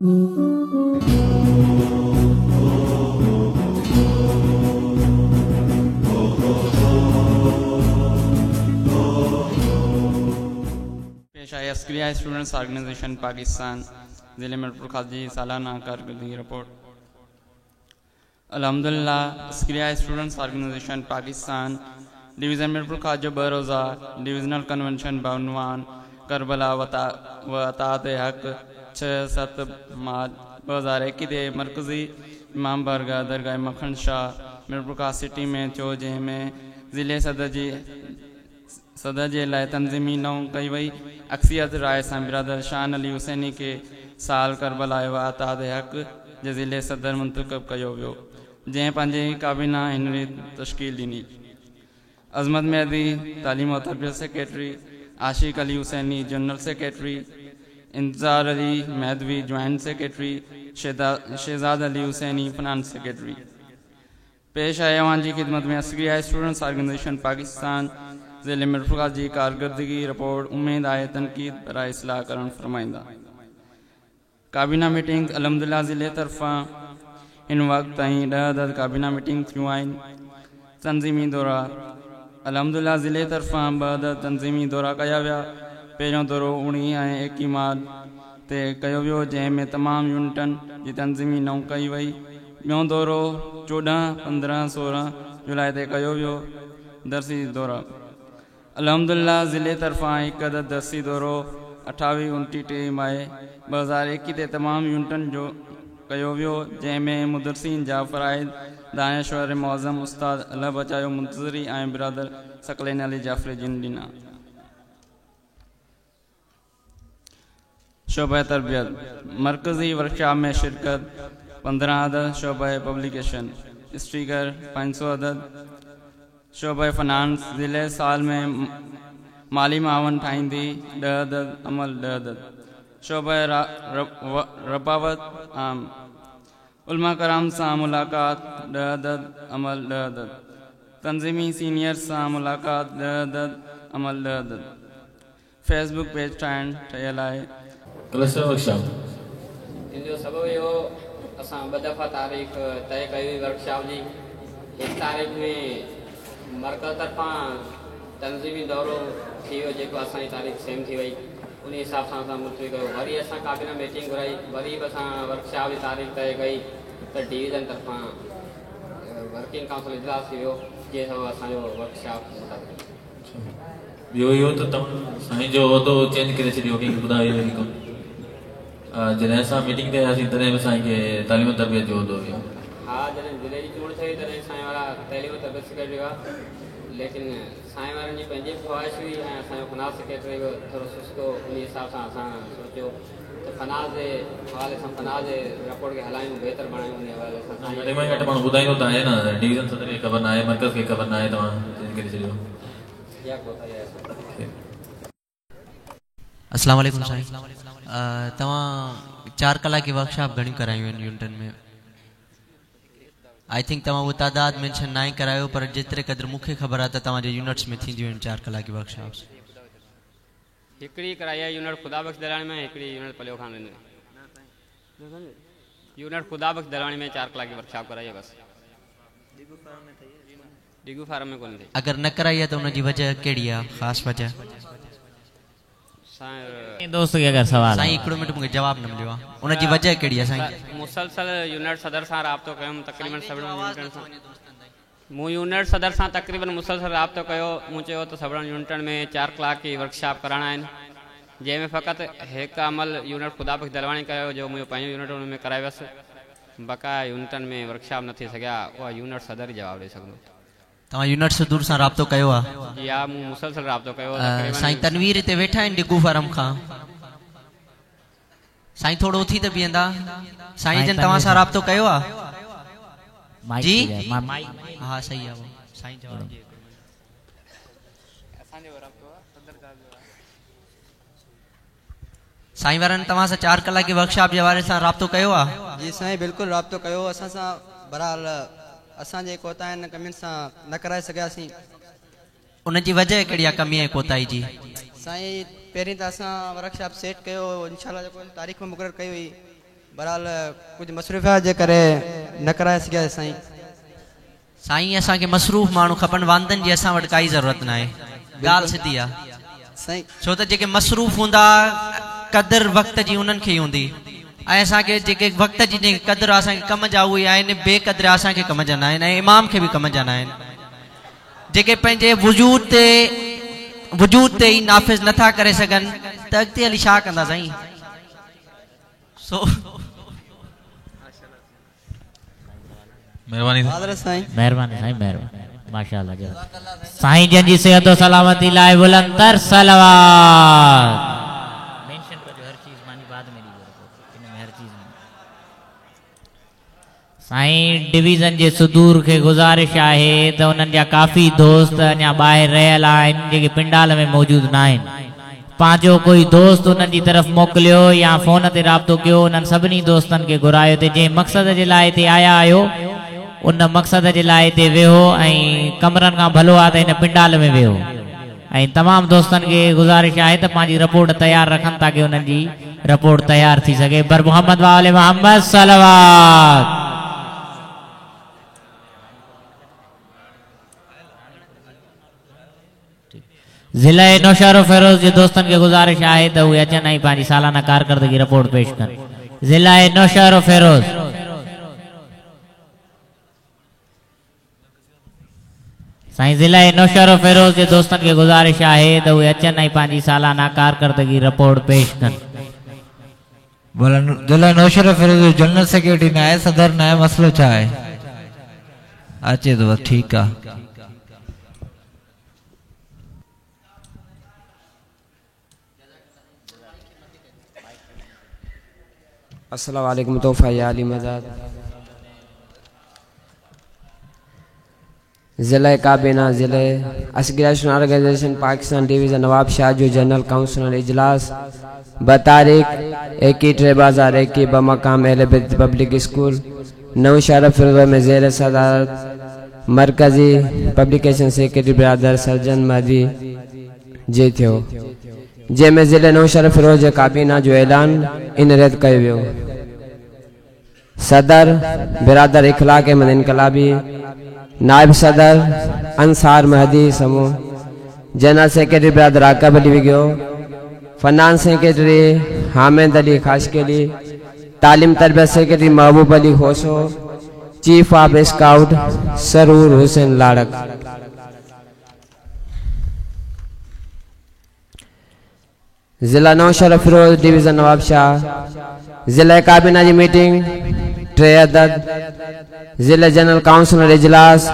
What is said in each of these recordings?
पेश आहे अस्करिया students organisation Pakistan ज़िले मीरपुर जी सालाना कारकर्दगी रिपोर्ट। अल्हम्दुलिल्लाह Askaria students organisation Pakistan division Mirpur Khas जो 2 रोज़ा डिविजनल कन्वेंशन बउनवान करबला व अतात हक़ 6-7 मार्च 2021 ते मरकज़ी इमाम बारगाह दरगाह मखन शाह मीरपुर खास सिटी में थियो, जंहिंमें ज़िले सदर जे लाइ तंज़ीमी नव कई वई। अक्सरियत राय सां बिरादर शान अली हुसैनी खे साल करबला व अतात हक़ जे ज़िले सदर मुंतख़ब कयो वियो, जंहिं पंहिंजी काबीना हिन रीति तश्कील ॾिनी। अज़मत मेहदी तालीम और तरबियत secretary, Ashiq Ali Husaini general secretary, Intezar Ali Mehdavi joint secretary, Shahzad Ali Husaini finance secretary. पेश आहे अव्हां जी ख़िदमत में अस्करिया स्टूडेंट्स ऑर्गेनाइजेशन पाकिस्तान ज़िले मीरपुर जी कारकर्दगी रिपोर्ट। उम्मीद आहे तनक़ीद बराए इस्लाह करण फरमाईंदा। काबीना मीटिंग अल्हम्दुलिल्लाह ज़िले तरफ़ां हिन वक़्त ताईं 10 अदद काबीना मीटिंग थियूं आहिनि। तंज़ीमी दौरा अल्हम्दुलिल्लाह ज़िले तरफ़ां 2 अदद तंज़ीमी दौरा कया विया। पहिरियों दौरो 19 ऐं 21 मार्च ते कयो वियो, जंहिंमें तमामु यूनिटनि जी तंज़ीमी नव कई वई। ॿियो दौरो 14, 15, 16 जुलाई ते कयो वियो। दरसी दौरा अल्हम्दुलिल्लाह ज़िले तरफ़ां 1 अदद दरसी दौरो 28, 29, 30 मई 2021 ते तमामु यूनिटनि जो कयो वियो, जंहिंमें मुदरसीन जा फ़राइज़ दानिश्वर मुअज़्ज़म उस्ताद अल्लाह बचायो मुंतज़री ऐं बिरादर सकलैन अली जाफ़री जिन ॾिना। शोबा तरबियत मरकज़ी वर्कशॉप में शिरकत 15 अदद, शोबा पब्लिकेशन स्टिकर 500 अदद, शोबा फाइनेंस ज़िले साल में माली मावन ठाहींदी 10 अदद, अमल 10 अदद, शोबा रबावत आम उलमा कराम सां मुलाक़ात 10 अदद, अमल 10 अदद, तंज़ीमी सीनियर सां मुलाक़ात 10 अदद, अमल 10 अदद। फेसबुक पेज ठाहिण ठहियल आहे। क्लस्टर वर्कशॉप इन जो सबबु इहो असां 2 दफ़ा तारीख़ तय कई हुई वर्कशॉप जी। हिकु तारीख़ में मरकज़ तरफ़ां तंज़ीमी दौरो थी वियो, जेको असांजी तारीख़ सेम थी वई, उन हिसाब सां असां मुलतवी कयो। वरी असां काबीना मीटिंग घुराई, वरी बि असां वर्कशॉप जी तारीख़ तय कई त डिवीज़न तरफ़ां वर्किंग काउंसिल इजलास थी वियो, जंहिं सबबु असांजो वर्कशॉप मुताबिक़। ॿियो इहो त तव्हां साईं जो उहिदो चेंज करे छॾियो, कंहिंखे ॿुधायो इहो कमु? जॾहिं असां मीटिंग ते आयासीं तॾहिं बि साईं खे तालीम तरबियत जो उहिदो हुयो। हा, जॾहिं ज़िले जी चूंड थी तॾहिं साईं वारा तालीम तरबियत सेक्रेटरी हुआ, लेकिन साईं वारनि जी पंहिंजी ख़्वाहिश हुई ऐं असांजो फाइनेंस सेक्रेटरी बि थोरो सुस्त हो, उन हिसाब सां असां सोचियो त फाइनेंस जे हवाले सां फाइनेंस जे रिपोर्ट खे हलायूं, बहितर बणायूं, उन हवाले सां। घटि में घटि माण्हू ॿुधाईंदो त आहे न, डिवीज़न सदर खे ख़बर न आहे, मरकज़ खे ख़बर न आहे, तव्हां चेंज करे छॾियो। अस्सलाम वालेकुम साईं, तव्हां 4 कलाक जी वर्कशॉप घणियूं करायूं आहिनि यूनिटनि में? I think तव्हां उहो तादाद मेंशन न करायो, पर जेतिरे क़दुरु मूंखे ख़बर आहे त तव्हांजे यूनिट्स में थींदियूं आहिनि 4 कलाक जी वर्कशॉप्स। हिकिड़ी कराई आहे यूनिट ख़ुदा बख़्श दलाणी में, हिकिड़ी यूनिट पलियो खान में। यूनिट ख़ुदा बख़्श दलाणी में 4 कलाक जी वर्कशॉप कराई आहे बसि, डिगू फार्म में कोन थी। अगरि न कराई आहे त उनजी वजह कहिड़ी आहे, ख़ासि वजह? दोस्त खे अगरि सवाल साईं हिकिड़ो मिंट मूंखे जवाबु न मिलियो आहे, उनजी वजह कहिड़ी आहे साईं? मुसलसल यूनिट सदर सां राब्तो कयुमि, तक़रीबन सभिनी यूनिटनि सां मूं यूनिट सदर सां तक़रीबन मुसलसल राब्तो कयो। मूं चयो त सभिनी यूनिटनि में 4 कलाक जी वर्कशॉप कराइणा आहिनि, जंहिंमें फ़क़ति हिकु अमल यूनिट ख़ुदा बख़्श दलवाणी कयो, जो मुंहिंजो पंहिंजो यूनिट उन में कराए वियुसि, बक़ाया यूनिटनि में वर्कशॉप न थी सघिया। उहा यूनिट सदर ई जवाबु ॾेई सघंदो। तव्हां यूनिट सदर सां राब्तो कयो आहे? जी हा, मूं मुसलसल राब्तो कयो। साईं तनवीर हिते वेठा आहिनि डिगू फार्म खां, साईं थोरो उथी त बीहंदा। साईं जन तव्हां सां राब्तो कयो आहे? जी हा, सही आहे साईं जवाब। साईं वारनि तव्हां सां 4 कलाक जी वर्कशॉप जे हवाले सां राब्तो कयो आहे? जी साईं बिल्कुलु राब्तो कयो असां सां, बहरहाल असांजे कोताहियुनि कमियुनि सां न कराए सघियासीं। उनजी वजह कहिड़ी आहे कमी ऐं कोताही जी? साईं पहिरीं त असां वर्कशॉप सेट कयो, इंशाअल्लाह जेको तारीख़ मुक़ररु कई हुई, बहरहाल कुझु मसरूफ़ियत जे करे न कराए सघियासीं साईं। साईं असांखे मसरूफ़ माण्हू खपनि, वांदनि जी असां वटि काई ज़रूरत न आहे, ॻाल्हि सिधी आहे साईं। छो त जेके मसरूफ़ हूंदा क़दुरु वक़्त जी उन्हनि खे ई हूंदी, ऐं असांखे जेके वक़्त जी जेके क़दुरु असांखे कम जा उहे आहिनि, बेक़दुर असांखे कम जा न आहिनि ऐं इमाम खे बि कम जा न आहिनि। जेके पंहिंजे वजूद ते ई नाफ़िज़ नथा करे सघनि त अॻिते हली छा कंदा साईं? सो मेहरबानी साईं, मेहरबानी साईं, मेहरबानी माशाअल्लाह। साईं जन जी सेहत और सलामती लाइ बुलंद तर सलावत। मेंशन कजो हर चीज़ मानी बाद में ॾिजो इन में हर चीज़ में। साईं डिवीज़न जे सुदूर खे गुज़ारिश आहे त उन्हनि जा काफ़ी दोस्त अञा ॿाहिरि रहियल आहिनि जेके पिंडाल में मौजूदु न आहिनि। पंहिंजो कोई दोस्त उन्हनि जी तरफ़ मोकिलियो या फ़ोन ते राब्तो कयो, उन्हनि सभिनी दोस्तनि खे घुरायो त जंहिं मक़सद जे लाइ हिते आया आहियो उन मक़सद जे लाइ हिते वेहो ऐं कमरनि खां भलो आहे त हिन पिंडाल में वेहो। ऐं तमामु दोस्तनि खे गुज़ारिश आहे त पंहिंजी रिपोर्ट तयारु रखनि ताकी उन्हनि जी रिपोर्ट तयारु थी सघे। बर मोहम्मद वाले मोहम्मद सलावत। ज़िले नौशहरो फ़िरोज़ जे दोस्तनि खे गुज़ारिश आहे त उहे अचनि ऐं पंहिंजी सालाना कारकर्दगी रिपोर्ट पेश कनि। ज़िले नौशहरो फ़िरोज़ साईं ज़िले नौशहरो फ़िरोज़ जे दोस्तनि खे गुज़ारिश आहे त उहे अचनि ऐं पंहिंजी सालाना कारकर्दगी रिपोर्ट पेश कनि। ज़िले नौशहरो फ़िरोज़ जनरल सेक्रेटरी न आहे, सदर न आहे, मसइलो छा आहे? अचे थो बसि ठीकु आहे। अस्सलाम वालेकुम। तोहफ़ा या अली मदद। ज़िले काबीना ज़िले असगरेशन ऑर्गेनाइजेशन पाकिस्तान डिवीज़न नवाब शाह जो जनरल काउंसिल इजलास बतारीख़ 21/3/2021 बमकाम अहले बैत पब्लिक स्कूल नौशहरा फ़िरोज़ में ज़ेर सदारत मरकज़ी पब्लिकेशन सेक्रेटरी बिरादर सर्जन महदी जे थियो, जंहिंमें ज़िले नौशहरा फ़िरोज़ जे काबीना जो ऐलान इन रीति कयो वियो। सदर बिरादर इख़लाक अहमद इनकलाबी, नायब सदर अंसार महदी समूह, जनरल सेक्रेटरी बिरादर आकब अली विघियो, फाइनेंस सेक्रेटरी हामिद अली खाशकेली, तालीम तरबियत secretary Mehboob Ali Khoso, chief of scout Sarur Hussain Larak. ज़िला नौशहरा फ़िरोज़ डिवीज़न नवाबशाह ज़िले काबीना जी मीटिंग 3 अदद, ज़िले जनरल काउंसिल इजलास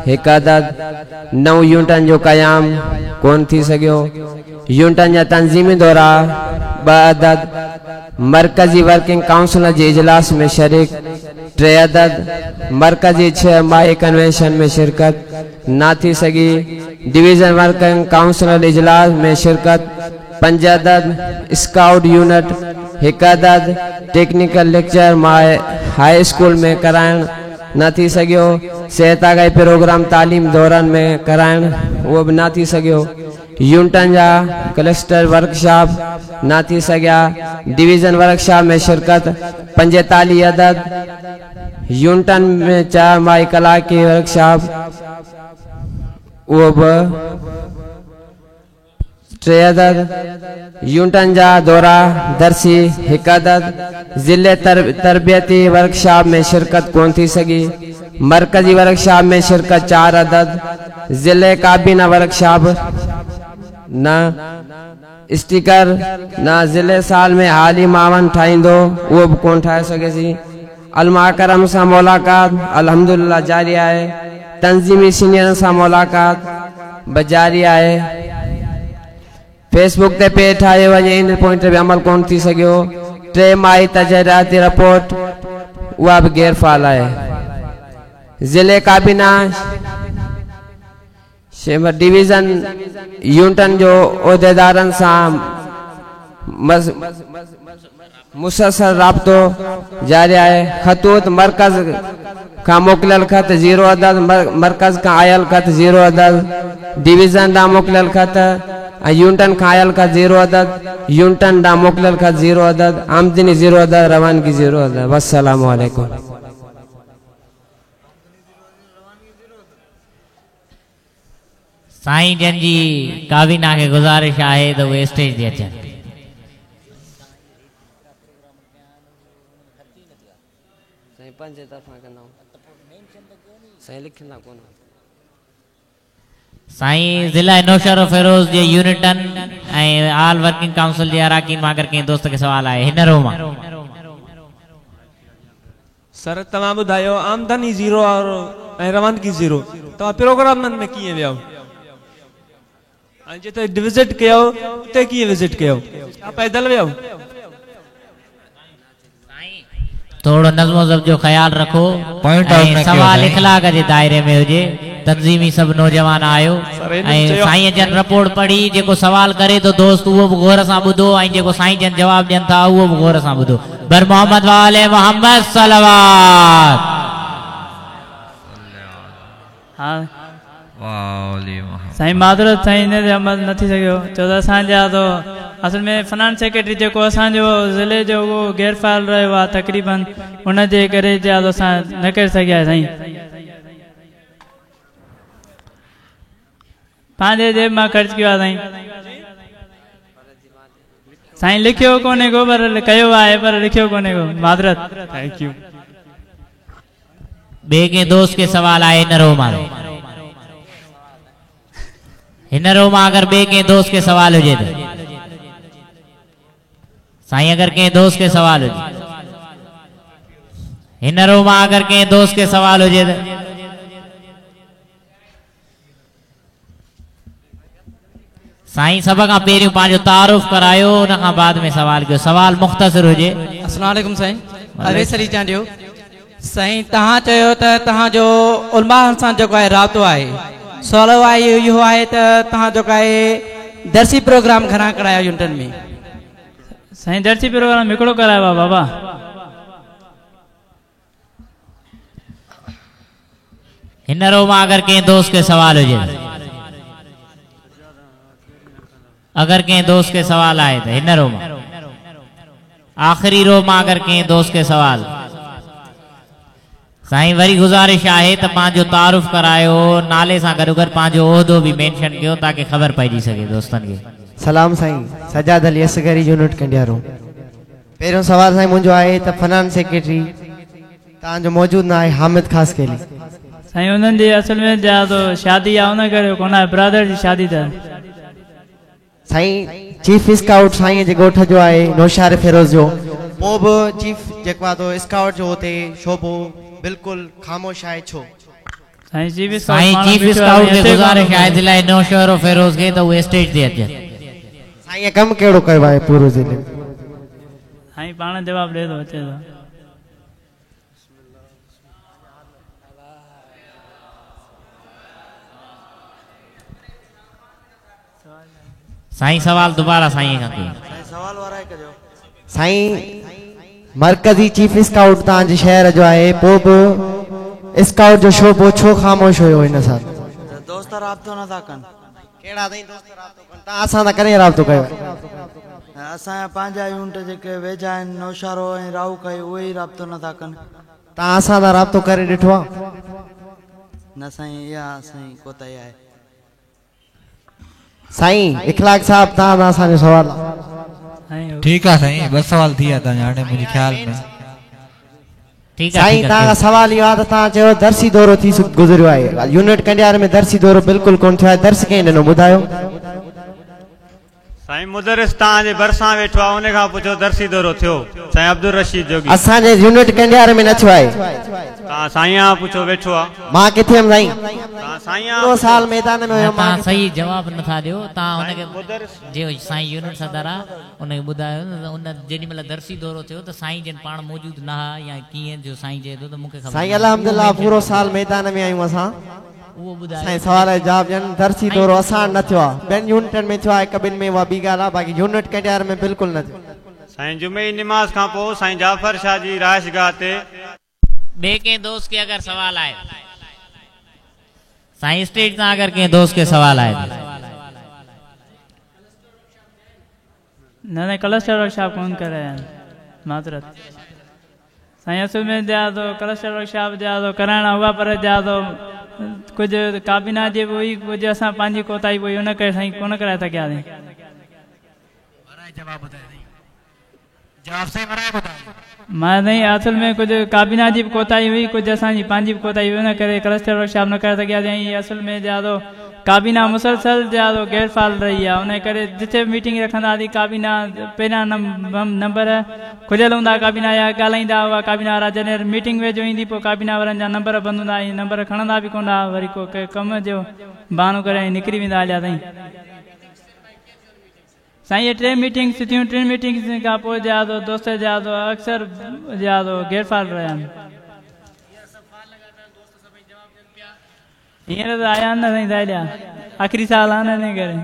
1 अदद, 9 यूनिटनि जो क़याम कोन थी सघियो, यूनिटनि जा तंज़ीमी दौरा 2 अदद, मरकज़ी वर्किंग काउंसिल जे इजलास में शरीक 3 अदद, मरकज़ी 6 माही कन्वेंशन में शिरकत न थी सघी, डिवीज़न वर्किंग काउंसिल इजलास में शिरकत 5 अदद, स्काउट यूनिट 1 अदद, technical lecture my high school में कराइण न थी सघियो, सेहत आगाही प्रोग्राम तालीम दौरन में कराइण उहो बि न थी सघियो, यूनिटनि जा क्लस्टर वर्कशॉप न थी सघिया, डिवीज़न वर्कशॉप में शिरकत 45 अदद, यूनिटनि में 4 माही कलाक वर्कशॉप उहो बि 3 अदद, यूनिटनि जा दौरा दरसी 1 अदद, ज़िले तरबियती वर्कशॉप में शिरकत कोन थी सघी, मरकज़ी वर्कशॉप में शिरकत 4 अदद, ज़िले काबीना वर्कशॉप न, स्टिकर न, ज़िले साल में हाली मावन ठाहींदो उहो बि कोन ठाहे सघियोसीं। अलमा करम सां मुलाक़ात अल्हम्दुलिल्लाह जारी आहे, तंज़ीमी सीनियरनि सां मुलाक़ात बि जारी आहे। फेसबुक ते पेज ठाहियो वञे इन पॉइंट ते बि अमल कोन थी सघियो। 3 माही तजरियाती रिपोर्ट उहा बि गैर फ़ाल आहे। ज़िले काबीना डिवीज़न यूनिटनि जो उहिदेदारनि सां मुसलसल राब्तो जारी आहे। ख़तूत मरकज़ खां मोकिलियल ख़त 0 अदद, मरकज़ खां आयल ख़त 0 अदद, डिवीज़न ॾांहुं मोकिलियल ख़त ऐं यूनिटनि खां आयल ख़त 0 अदद, यूनिटनि ॾांहुं मोकिलियल ख़त 0 अदद, आमदनी 0 अदद, रवानगी 0 अदद। वस्सलामु अलैकुम। साईं जन जी काबीना खे गुज़ारिश आहे त उहे स्टेज ते अचनि। साईं पंहिंजे तरफ़ां कंदा साईं लिखंदा कोन। साईं ज़िला नौशहरो फिरोज़ जे यूनिटनि ऐं आल वर्किंग काउंसिल जे अराकीन मां अगरि कंहिं दोस्त खे सवाल आहे हिन रो मां। सर तव्हां ॿुधायो आमदनी 0 और ऐं रवानगी 0, तव्हां प्रोग्रामनि में कीअं विया ऐं जिते विज़िट कयो उते कीअं विज़िट कयो? पैदल विया? थोरो नज़्मो ज़ब्त जो ख़्यालु रखो, सवाल इख़लाक जे दायरे में हुजे। तंज़ीमी सभु नौजवान आहियो ऐं साईं जन रिपोर्ट पढ़ी, जेको सवाल करे थो दोस्त उहो बि गौर सां ॿुधो ऐं जेको साईं जन जवाबु ॾियनि था उहो बि गौर सां ॿुधो। बर मोहम्मद वाले मोहम्मद सलावत। हा साईं माज़रत साईं इन ते अमल न थी सघियो, छो त असांजा त असल में फाइनेंस सेक्रेटरी जेको असांजो ज़िले जो उहो गैर फ़ाल रहियो आहे तक़रीबन, उनजे करे असां न करे सघिया साईं। पंहिंजे जेब मां ख़र्च कयो आहे साईं। साईं लिखियो कोन्हे को, पर कयो आहे पर लिखियो कोन्हे को, माज़रत। Thank you. ॿिए कंहिं दोस्त खे सवाल आहे हिन रो मां? हिन रो मां अगरि ॿिए कंहिं दोस्त खे सवाल हुजे त साईं, अगरि कंहिं दोस्त खे सवाल हुजे हिन रो मां, अगरि कंहिं दोस्त खे सवाल हुजे त साईं सभ खां पहिरियों पंहिंजो तारुफ़ करायो, उन खां बाद में सवाल कयो। सवाल मुख़्तसिर हुजे। अस्सलाम वालेकुम साईं, अवेस अली चांडियो। साईं तव्हां चयो त तव्हांजो उलमा सां जेको आहे राब्तो आहे, सवाल आहे इहो आहे त तव्हां जेको आहे दरसी प्रोग्राम घणा कराया यूनिटनि में? साईं दरसी प्रोग्राम हिकिड़ो करायो आहे बाबा। हिन रो मां अगरि कंहिं दोस्त खे सवाल हुजे, अगरि कंहिं दोस्त खे सवाल आहे त हिन रो मां, आख़िरी रो मां अगरि कंहिं दोस्त खे सवाल। साईं वरी गुज़ारिश आहे त पंहिंजो तारुफ़ करायो, नाले सां गॾो गॾु पंहिंजो ओहदो बि मेंशन कयो ताकी ख़बर पइजी सघे दोस्तनि खे। सलाम साईं, सजाद अली असगरी यूनिट कंडियारो। पहिरियों सवाल साईं मुंहिंजो आहे त फाइनेंस सेक्रेटरी तव्हांजो मौजूदु न आहे हामिद ख़ास केली। साईं उन्हनि जी असल में शादी आहे उन करे कोन आहे, ब्रदर जी शादी त। साईं चीफ स्काउट साईं जे ॻोठ जो आहे नौशहर फिरोज़ जो, पोइ बि चीफ जेको आहे तो स्काउट जो हुते शोबो बिल्कुलु ख़ामोश आहे, छो? साईं चीफ स्काउट खे गुज़ारिश आहे ज़िला नौशहरो फिरोज़ खे त उहे स्टेज ते अचनि। साईं कमु कहिड़ो कयो आहे पूरो ज़िले में? साईं पाण जवाबु ॾिए थो, अचे थो। साईं सवाल दोबारा साईं खां कयो। साईं मरकज़ी चीफ स्काउट तव्हांजे शहर जो आहे, पोइ बि स्काउट जो शोबो छो ख़ामोश हुयो हिन साल? दोस्त राब्तो नथा कनि। कहिड़ा साईं दोस्त राब्तो कनि? तव्हां असां सां कॾहिं राब्तो कयो? असांजा पंहिंजा यूनिट जेके वेझा आहिनि नौशहरो ऐं राहू खाई, उहे ई राब्तो नथा कनि। तव्हां असां सां राब्तो करे ॾिठो आहे? न साईं, इहा असांजी कोताही आहे। साईं इख़लाक साहिबु, तव्हां सां असांजो सवाल आहे। ठीकु आहे साईं, ॿ सवाल थी विया तव्हांजा हाणे मुंहिंजे ख़्याल में। ठीकु आहे साईं, तव्हां सवाल इहो आहे त तव्हां चयो दरसी दौरो थी गुज़रियो आहे, यूनिट कंडियार में दरसी दौरो बिल्कुलु कोन थियो आहे, दर्स कंहिं ॾिनो ॿुधायो? साईं मुदरिस तव्हांजे भरिसां वेठो आहे, उन खां पुछो दरसी दौरो थियो? साईं अब्दुल रशीद जोगी। असांजे यूनिट कंडियार में न थियो आहे। तव्हां साईं पुछो वेठो आहे। मां किथे हुयमि साईं? तव्हां साईं पूरो साल मैदान में हुयो। तव्हां सही जवाबु नथा ॾियो। तव्हां हुनखे जे साईं यूनिट सदर आहे उनखे ॿुधायो न त उन जेॾी महिल दरसी दौरो थियो त साईं जन पाण मौजूदु न हुआ या कीअं जो साईं चए थो त मूंखे ख़बर। साईं अल्हम्दुलिल्लाह पूरो साल मैदान में आहियूं असां। उहो ॿुधायो साईं सवाल जो जवाबु ॾियनि। दरसी दौरो असां न थियो आहे, ॿियनि यूनिटनि में थियो आहे, हिक ॿिनि में, उहा ॿी ॻाल्हि आहे, बाक़ी यूनिट कंडियार में बिल्कुलु न थियो। साईं जुमे जी निमाज़ खां पोइ साईं जाफ़र शाह जी रिहाइशगाह ते। ॿिए कंहिं दोस्त खे अगरि सवाल आहे साईं स्टेज तां अगरि कंहिं दोस्त खे सवाल आहे। نه سائين ڪلسٽر ورڪشاپ ڪونه ڪرايا آهن معذرت سائين اصل ۾ جا تو ڪلسٽر ورڪشاپ جا تو ڪرائڻا هئا پر جا تو ڪجهه ڪابينا جي به هئي ڪجهه اسان پنهنجي ڪوتاهي به هئي ان ڪري سائين ڪونه ڪرائي سگهياسين. جواب ٻڌايو سائين. جواب صحيح ورائي ٻڌايو. مان سائين اصل ۾ ڪجهه ڪابينا جي به ڪوتاهي هئي ڪجهه اسان جي پنهنجي به ڪوتاهي هئي ان ڪري ڪلسٽر ورڪشاپ نه ڪرائي سگهياسين ۽ اصل ۾ جا تو ڪابينا مسلسل جا تو غير فعال رهي آهي ان ڪري جتي به ميٽنگ رکندا هئاسين ڪابينا پهريان نمبر کليل هوندا ڪابينا جا ڳالهائيندا هئا ڪابينا وارا جڏهن ميٽنگ ويجهو ايندي پوء ڪابينا وارن جا نمبر بند هوندا ۽ نمبر کڻندا به ڪونه هئا وري ڪو ڪنهن ڪم جو بهانو ڪري ۽ نڪري ويندا هليا سائين. سائين اهي ٽي ميٽنگس ٿيون ٽن ميٽنگس کان پوء جا تو دوست جا تو اڪثر جا تو غير فعال رهيا آهن. هينئر ته آيا آهن نه سائين سائليا آخري سال آهن ان ڪري.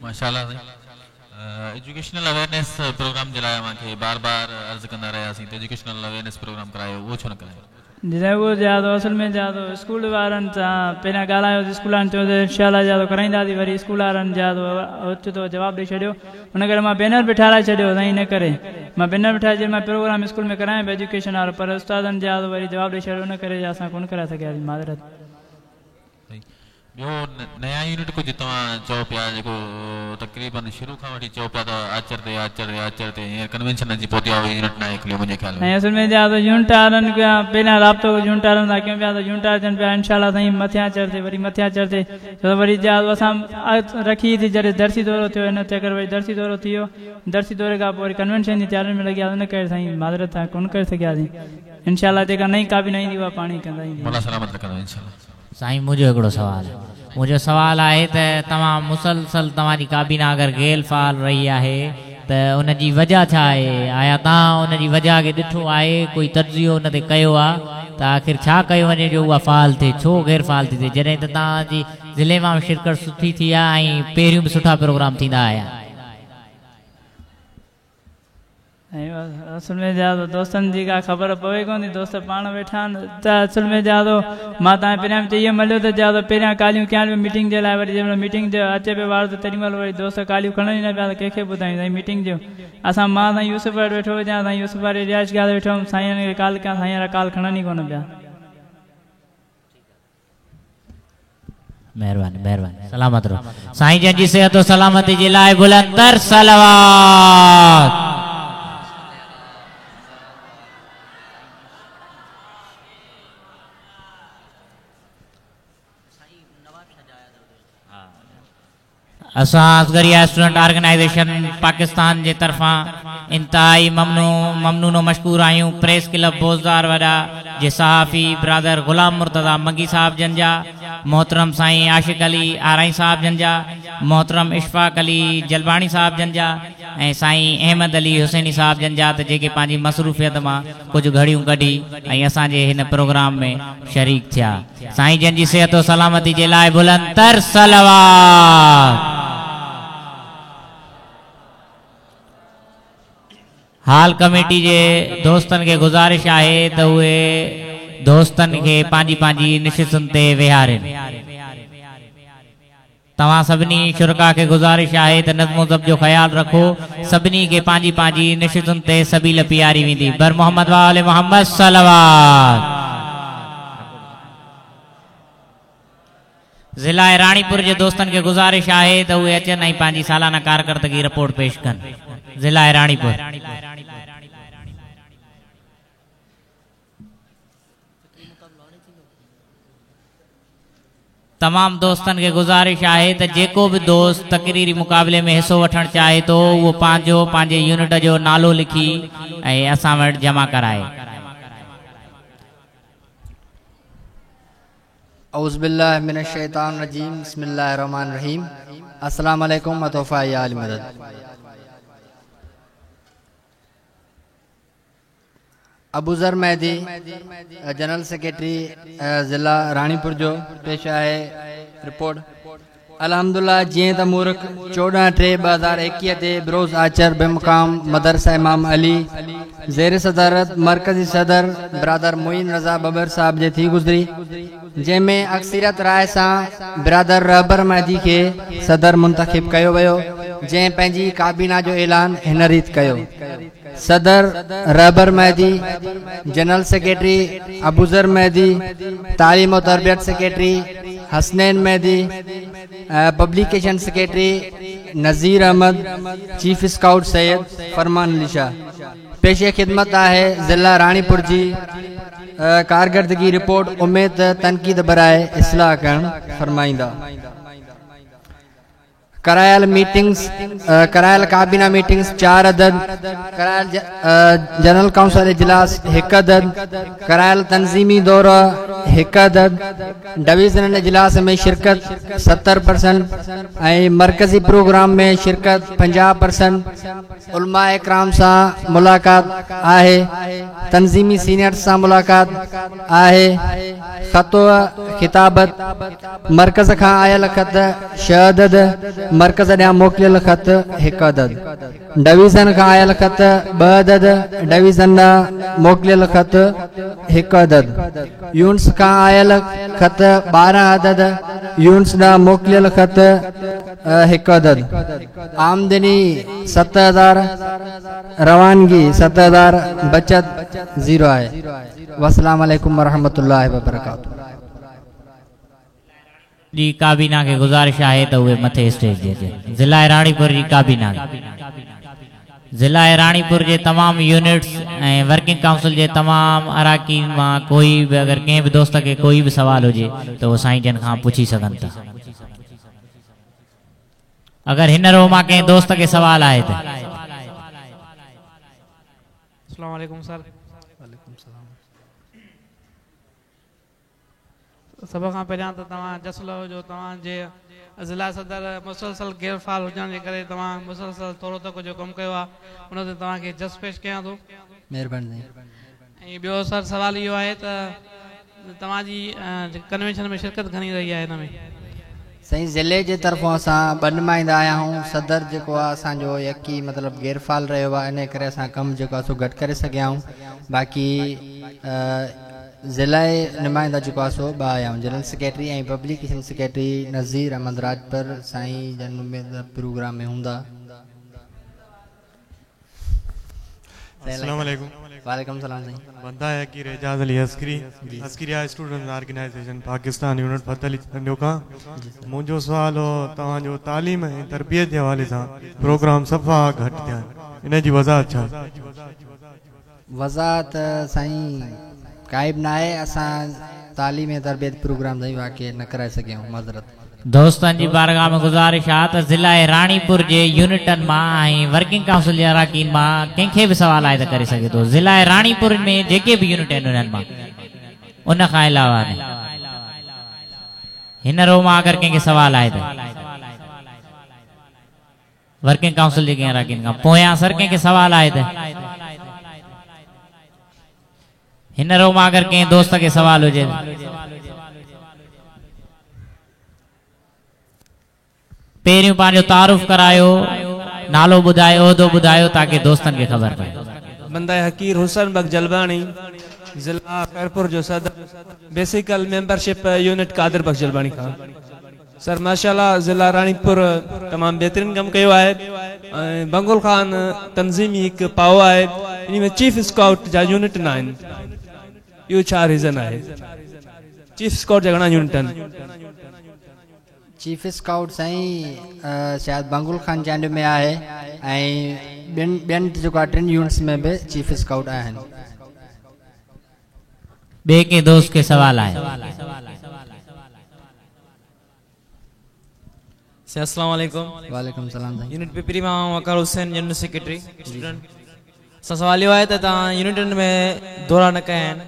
ماشاءالله سائين ايجوڪيشنل اويئرنيس پروگرام جي لاء اوهان کي بار بار عرض ڪندا رهياسين ته ايجوڪيشنل اويئرنيس پروگرام ڪرايو اهو ڇو نه ڪرايو. جي سائين اهو جا تو اصل ۾ جا تو اسڪول وارن سان پهريان ڳالهايو اسڪول وارن چيو ته انشاء الله جا تو ڪرائينداسين وري اسڪول وارن جا تو اوچتو جواب ڏئي ڇڏيو ان ڪري مان بينر به ٺاهرائي ڇڏيو سائين ان ڪري مان بينر به ٺاهي ڇڏيو مان پروگرام اسڪول ۾ ڪرايان پيو ايجوڪيشن وارو پر استادن جا تو وري جواب ڏئي ڇڏيو ان ڪري اسان ڪونه ڪرائي سگهياسين معذرت. ٻيو نيا يونٽ ڪجهه توهان چئو پيا جيڪو تقريبن شروع کان وٺي چئو پيا ته آچر تي آچر تي آچر تي هينئر ڪنوينشن اچي پهتي آهي اهو يونٽ ناهي کليو منهنجي خيال ۾. ۽ اصل ۾ جا ته يونٽ وارن کان پهريان رابطو يونٽ وارن سان ڪيون پيا ته يونٽ وارا چون پيا انشاء الله سائين مٿيان آچر تي وري مٿيان آچر تي ڇو ته وري جا اسان رکي ٿي جڏهن درسي دورو ٿيو ان چڪر وري درسي دورو ٿي ويو درسي دوري کان پوء وري ڪنوينشن جي تيارين ۾ لڳي وياسين ان ڪري سائين معذرت سان ڪونه ڪري سگهياسين انشاء الله جيڪا نئين ڪابينا ايندي اها پاڻ ئي ڪندا ايندي. مولا سلامت رکندو انشاء الله. سائين منهنجو هڪڙو سوال آهي. منهنجو سوال آهي ته توهان مسلسل توهان جي ڪابينا اگر غير فعال رهي آهي ته ان جي وجه ڇا آهي؟ آيا توهان ان جي وجه کي ڏٺو آهي ڪوئي تجزيو ان تي ڪيو آ ته آخر ڇا ڪيو وڃي جو اها فعال ٿئي ڇو غير فعال ٿي ٿئي جڏهن ته توهان جي ضلعي مان به شرڪت سٺي ٿي آ ۽ پهريون به سٺا پروگرام ٿيندا آيا. ۽ اصل ۾ جا تو دوستن جي ڪا خبر پوي ڪون ٿي دوست پاڻ ويٺا آهن ته اصل ۾ جا تو مان تان پهريان به چئي مليو ته جا تو پهريان ڪاليون ڪيان پيو ميٽنگ جي لاء وري جنهن مهل ميٽنگ جو اچي پيو وارو ته تيڏي مهل وري دوست ڪاليون کڻن ئي نه پيا ته ڪنهن کي ٻڌايون سائين ميٽنگ جو اسان مان سائين يوسف وٽ ويٺو هجان سائين يوسف واري رهائش گاهه تي ويٺو هوم سائين کي ڪال ڪيان سائين وارا ڪال کڻن ئي ڪونه پيا. مهرباني مهرباني سلامت رهو سائين جن جي صحت و سلامتي جي لاء بلند تر صلوات. اسان اصغريه اسٽوڊنٽ آرگنائيزيشن پاڪستان جي طرفان انتهائي ممنون و مشڪور آهيون پريس ڪلب بوزدار وڏا جي صحافي برادر غلام مرتضيٰ منگي صاحب جن جا، محترم سائين عاشق علي آرائين صاحب جن جا، محترم اشفاق علي جلباڻي صاحب جن جا ۽ سائين احمد علي حسيني صاحب جن جا ته جيڪي پنهنجي مصروفيت مان ڪجهه گهڙيون ڪڍي ۽ اسان جي هن پروگرام ۾ شريڪ ٿيا. سائين جن جي صحت و سلامتي جي لاء بلند تر صلوات. هال ڪميٽي جي دوستن کي گذارش آهي ته اهي دوستن کي پنهنجي پنهنجي نشستن تي ويهارين. توهان سڀني شرڪاء کي گذارش آهي ته نظم و ضبط جو خيال رکو. سڀني کي پنهنجي پنهنجي نشستن تي سبيل پياري ويندي. بر محمد وآل محمد صلوات. ضلع راڻيپور جي دوستن کي گذارش آهي ته اهي اچن ۽ پنهنجي سالانه ڪارڪردگي رپورٽ پيش ڪن. ضلع راڻيپور. تمام دوستن کي گذارش آهي ته جيڪو به دوست تقريري مقابلي ۾ حصو وٺڻ چاهي ٿو اهو پنهنجو پنهنجي يونٽ جو نالو لکي ۽ اسان وٽ جمع ڪرائي. اعوذ بالله من الشيطان الرجيم بسم الله الرحمن الرحيم السلام عليڪم وتوفا يا علي مدد. ابوذر مهدي جنرل سيڪريٽري ضلع راڻيپور جو پيش آهي رپورٽ الحمدلله جيئن ته مورخ 14 3 2021 تي بروز آچر بمقام مدرسه امام علي زير صدارت مرڪزي صدر برادر معين رضا ٻٻر صاحب جي ٿي گذري، جنهن ۾ اڪثريت راء سان برادر رهبر مهدي کي صدر منتخب ڪيو ويو، جنهن پنهنجي ڪابينا جو اعلان هن ريت ڪيو، صدر رهبر مهدي، جنرل سيڪريٽري ابوذر مهدي، تعليم و تربيت secretary Hasnain Mehdi, publication secretary Nazir Ahmed, chief scout Syed Farman Ali Shah. پيش خدمت آهي ضلع راڻيپور جي ڪارڪردگي رپورٽ اميد ته تنقيد براء اصلاح ڪرڻ فرمائيندا. ڪرايل ميٽنگس ڪرايل ڪابينا ميٽنگس 4 عدد، ڪرايل جنرل ڪائونسل اجلاس 1 عدد، ڪرايل تنظيمي دورا 1 عدد، ڊويزنل اجلاس ۾ شرڪت 70% ۽ مرڪزي پروگرام ۾ شرڪت 50%، علماء اڪرام سان ملاقات آهي، تنظيمي سينيئرز سان ملاقات آهي، خط و خطابت، مرڪز کان آيل خط 6 عدد، مرڪز ڏانهن موڪليل خط 1 عدد، ڊويزن کان آيل خط 2 عدد، ڊويزن ڏانهن موڪليل خط 1 عدد، يونٽس کان آيل خط 12 عدد، يونٽس ڏانهن موڪليل خط 1 عدد، آمدني 7000، روانگي 7000، بچت 0 آهي. والسلام عليڪم ورحمة الله وبرڪاته. جي ڪابينا کي گذارش آهي ته اهي مٿي اسٽيج تي اچن. ضلع راڻيپور جي ڪابينا کي ضلع راڻيپور جي تمام يونٽس ۽ ورڪنگ ڪائونسل جي تمام اراڪين مان ڪوئي به اگر ڪنهن به دوست کي ڪوئي به سوال هجي ته اهو سائين جن کان پڇي سگهن ٿا. اگر هن رو مان ڪنهن دوست کي سوال آهي ته. السلام عليڪم سر. وعليڪم السلام. سڀ کان پهريان ته توهان جس لهو جو توهان جي ضلع صدر مسلسل غير فعال هجڻ جي ڪري توهان مسلسل ٿورو تڪ جو ڪم ڪيو آهي ان تي توهان کي جس پيش ڪيان ٿو. مهرباني سائين. ۽ ٻيو سر سوال اهو آهي ته توهان جي ڪنوينشن ۾ شرڪت گهڻي رهي آهي هن ۾. سائين ضلعي جي طرفون اسان ٻه نمائندا آيا آهيون صدر جيڪو آهي اسان جو يڪي مطلب غير فعال رهيو آهي انهي ڪري اسان ڪم جيڪو آهي سو گهٽ ڪري سگهيا آهيون باقي ضلعي نمائندا جيڪو آهي سو ٻه آيا آهيون general secretary ۽ publication secretary Nazir Ahmed Rajpar سائين جن اميد پروگرام ۾ هوندا. السلام عليڪم. وعليڪم السلام سائين. بنده حقير اعجاز علي عسڪري عسڪريا students organisation Pakistan unit Fateh Ali Chandio کان منهنجو سوال هو توهان جو تعليم ۽ تربيت جي حوالي سان پروگرام صفا گهٽ ٿيا آهن ان جي وضاحت ڇا آهي؟ وضاحت سائين ڪائي به ناهي اسان تعليم ۽ تربيت پروگرام سائين واقعي نه ڪرائي سگهيا آهيون معذرت. دوستن جي بارگاهه ۾ گذارش آ ته ضلعي راڻيپور جي يونٽن مان ۽ ورڪنگ ڪائونسل جي اراڪين مان ڪنهن کي به سوال آهي ته ڪري سگهي ٿو ضلعي راڻيپور ۾ جيڪي به يونٽ آهن انهن مان ان کان علاوه نه هن رو مان اگر ڪنهن کي سوال آهي ته ورڪنگ ڪائونسل جي ڪنهن اراڪين کان پويان سر ڪنهن کي سوال آهي ته هن رو مان اگر ڪنهن دوست کي سوال هجي ته. پهريون پنهنجو تعارف ڪرايو، نالو ٻڌايو، عهدو ٻڌايو تاڪه دوستن کي خبر پئي. بنده حقير حسن بخش جلباڻي ضلع خيرپور جو صدر بيسيڪل ميمبرشپ يونٽ قادر بخش جلباڻي کان. سر ماشاءالله ضلع راڻيپور تمام بهترين ڪم ڪيو آهي ۽ بنگل خان تنظيمي هڪ پاء آهي انهي ۾ چيف اسڪائوٽ جا يونٽ نه آهن اهو ڇا ريزن آهي چيف اسڪائوٽ جا گهڻا يونٽ آهن. چيف اسڪائوٽ سائين شايد بنگل خان چانڊيو ۾ آهي ۽ ٻين ٻين جيڪو آهي ٽن يونٽس ۾ به چيف اسڪائوٽ آهن. ٻئي ڪنهن دوست کي سوال آهي. سائين السلام عليڪم. وعليڪم السلام سائين. يونٽ پپري مان آئون وقار حسين جنرل سيڪريٽري اسٽوڊنٽ سان سوال اهو آهي ته توهان يونٽن ۾ دورا نه ڪيا آهن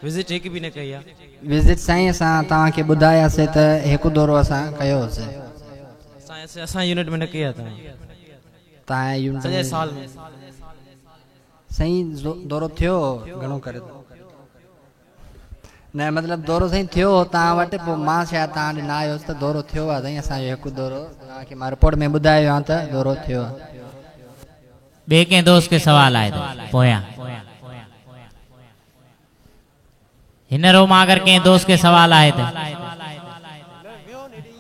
وزٽ هڪ به نه ڪئي آهي. وزٽ سائين اسان توهان کي ٻڌاياسي ته هڪ دورو اسان ڪيو هوسي. سائين اسان يونٽ ۾ نه ڪئي آهي توهان. توهان يونٽ سڄي سال ۾. سائين دورو ٿيو هو گهڻو ڪري ته. نه مطلب دورو سائين ٿيو هو توهان وٽ پوء مان شايد توهان ڏي نه آيو هوس ته دورو ٿيو آهي سائين اسان جو هڪ دورو توهان کي مان رپورٽ ۾ ٻڌايو آهي ته دورو ٿيو آهي. ॿिए कंहिं दोस्त खे सवाल आहे त पोयां हिन रो मां अगरि कंहिं दोस्त खे सवाल आहे त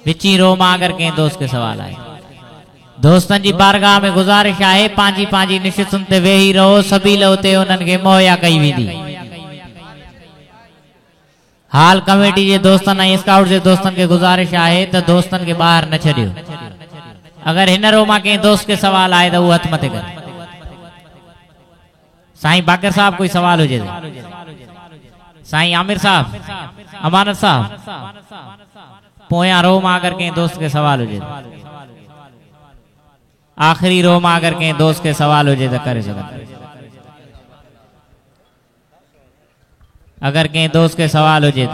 विची रो मां अगरि कंहिं दोस्त खे सवाल आहे। दोस्तनि जी बारगाह में गुज़ारिश आहे पंहिंजी पंहिंजी निशिस्तुनि ते वेही रहो, सबील उते उन्हनि खे मुहैया कई वेंदी। हाल कमेटी जे दोस्तनि ऐं स्काउट जे दोस्तनि खे गुज़ारिश आहे त दोस्तनि खे ॿाहिरि न छॾियो। अगरि हिन रो मां कंहिं दोस्त खे सवाल आहे त उहो हथु मथे करे। साईं बाक़िर साहब कोई सवाल हुजे त, साईं आमिर साहब, अमानत साहब, पोयां रो मां अगरि कंहिं दोस्त खे सवाल हुजे त, आख़िरी रो मां अगरि कंहिं दोस्त खे सवाल हुजे त करे सघनि। अगरि कंहिं दोस्त खे सवाल हुजे त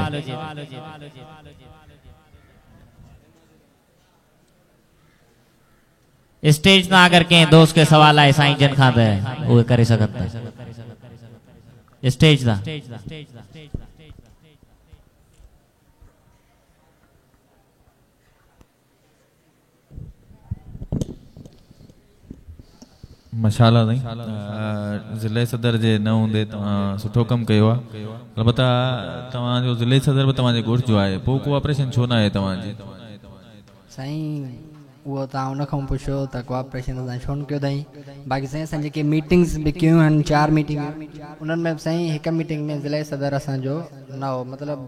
स्टेज तां अगरि कंहिं दोस्त खे सवाल आहे साईं जन खां त उहे करे सघनि था स्टेज तां। माशाअल्लाह साईं, ज़िले सदर जे न हूंदे तव्हां सुठो कमु कयो आहे। अलबत्ता तव्हांजो ज़िले सदर बि तव्हांजे ॻोठ जो आहे, पोइ कोऑपरेशन छो न आहे तव्हांजी? साईं उहो तव्हां उन खां पुछो त कोऑपरेशन असां छो न कयो अथई। बाक़ी साईं असां जेके मीटिंग्स बि कयूं आहिनि, 4 मीटिंग, उन्हनि में साईं हिकु मीटिंग में ज़िले सदर असांजो न हो, मतिलबु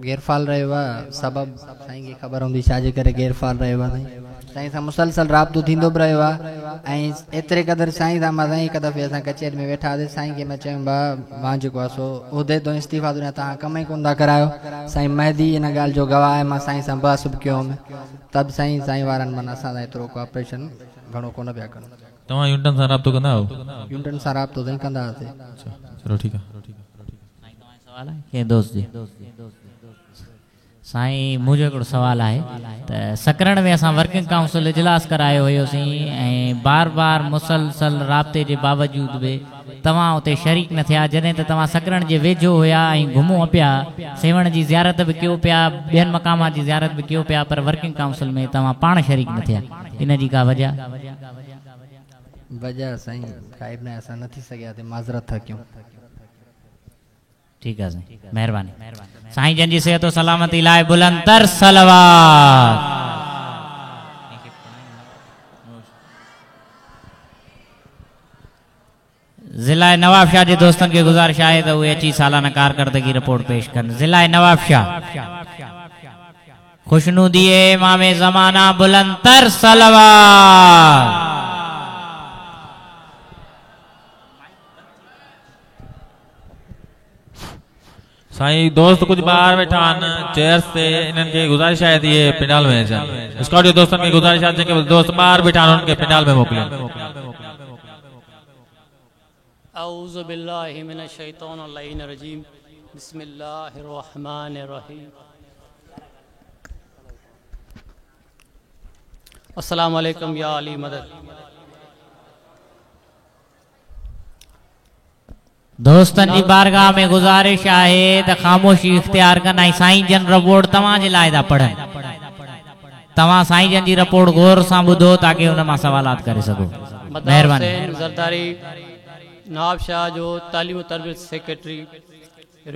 गैरफ़ाल रहियो आहे। सबबु साईं खे ख़बर हूंदी छाजे करे गैरफ़ाल रहियो आहे। साईं साईं सां मुसलसल राब्तो थींदो बि रहियो आहे ऐं एतिरे क़दुरु साईं सां मां साईं हिकु दफ़े असां कचहरी में वेठा हुआसीं, साईं खे मां चयुमि भाउ मां जेको आहे सो उहिदे तो इस्तीफ़ा थो ॾियां, तव्हां कमु ई कोन था करायो। साईं मेहदी इन ॻाल्हि जो गवाह आहे, मां साईं सां बहस बि कयो हुउमि, त बि साईं साईं वारनि माना असां सां एतिरो कोऑपरेशन घणो कोन पिया कनि। तव्हां यूनिटनि सां राब्तो कंदा आहियो? यूनिटनि सां राब्तो साईं कंदा हुआसीं। चलो ठीकु आहे। सवाल आहे कंहिं दोस्त जे? साईं मुंहिंजो हिकिड़ो सवाल आहे त सकरण में असां वर्किंग काउंसिल इजलास करायो हुयोसीं ऐं बार बार मुसलसल राब्ते जे बावजूद बि तव्हां उते शरीक न थिया, जॾहिं त तव्हां सकरण जे वेझो हुया ऐं घुमो पिया, सेवण जी ज़ियारत बि कयो पिया, ॿियनि मक़ाम जी ज़ियारत बि कयो पिया, पर वर्किंग काउंसिल में तव्हां पाण शरीक न थिया, इन जी का वजह? वजह साईं काई बि न, असां न थी सघिया, माज़रत था कयूं। ठीकु आहे साईं, महिरबानी। साईं जन जी सिहत सलामती लाइ बुलंद तर सलवात। ज़िला नवाबशाह जे दोस्तनि खे गुज़ारिश आहे त उहे अची सालाना कारकर्दगी रिपोर्ट पेश कनि। ज़िला नवाबशाह खुशनुदी इमाम ज़माना बुलंद तर सलवात। साईं दोस्त कुझु ॿाहिरि वेठा आहिनि चेयर्स ते, इन्हनि खे गुज़ारिश आहे त इहे पंडाल में अचनि। स्कॉट जे दोस्तनि खे गुज़ारिश आहे जेके दोस्त ॿाहिरि वेठा आहिनि उन्हनि खे पंडाल में मोकिलियो। अऊज़ु बिल्लाहि मिनश शैतानिर लईनिर रजीम, बिस्मिल्लाहिर रहमानिर रहीम। अस्सलामु अलैकुम या अली मदद। दोस्तनि जी बारगाह में गुज़ारिश आहे त ख़ामोशी इख़्तियार कनि ऐं साईं जन रिपोर्ट तव्हांजे लाइ था पढ़नि। तव्हां साईं जन जी रिपोर्ट गौर सां ॿुधो ताकी उन मां सवालात करे सघो। महिरबानी। ज़रदारी नवाबशाह जो तालीम तरबियत सेक्रेटरी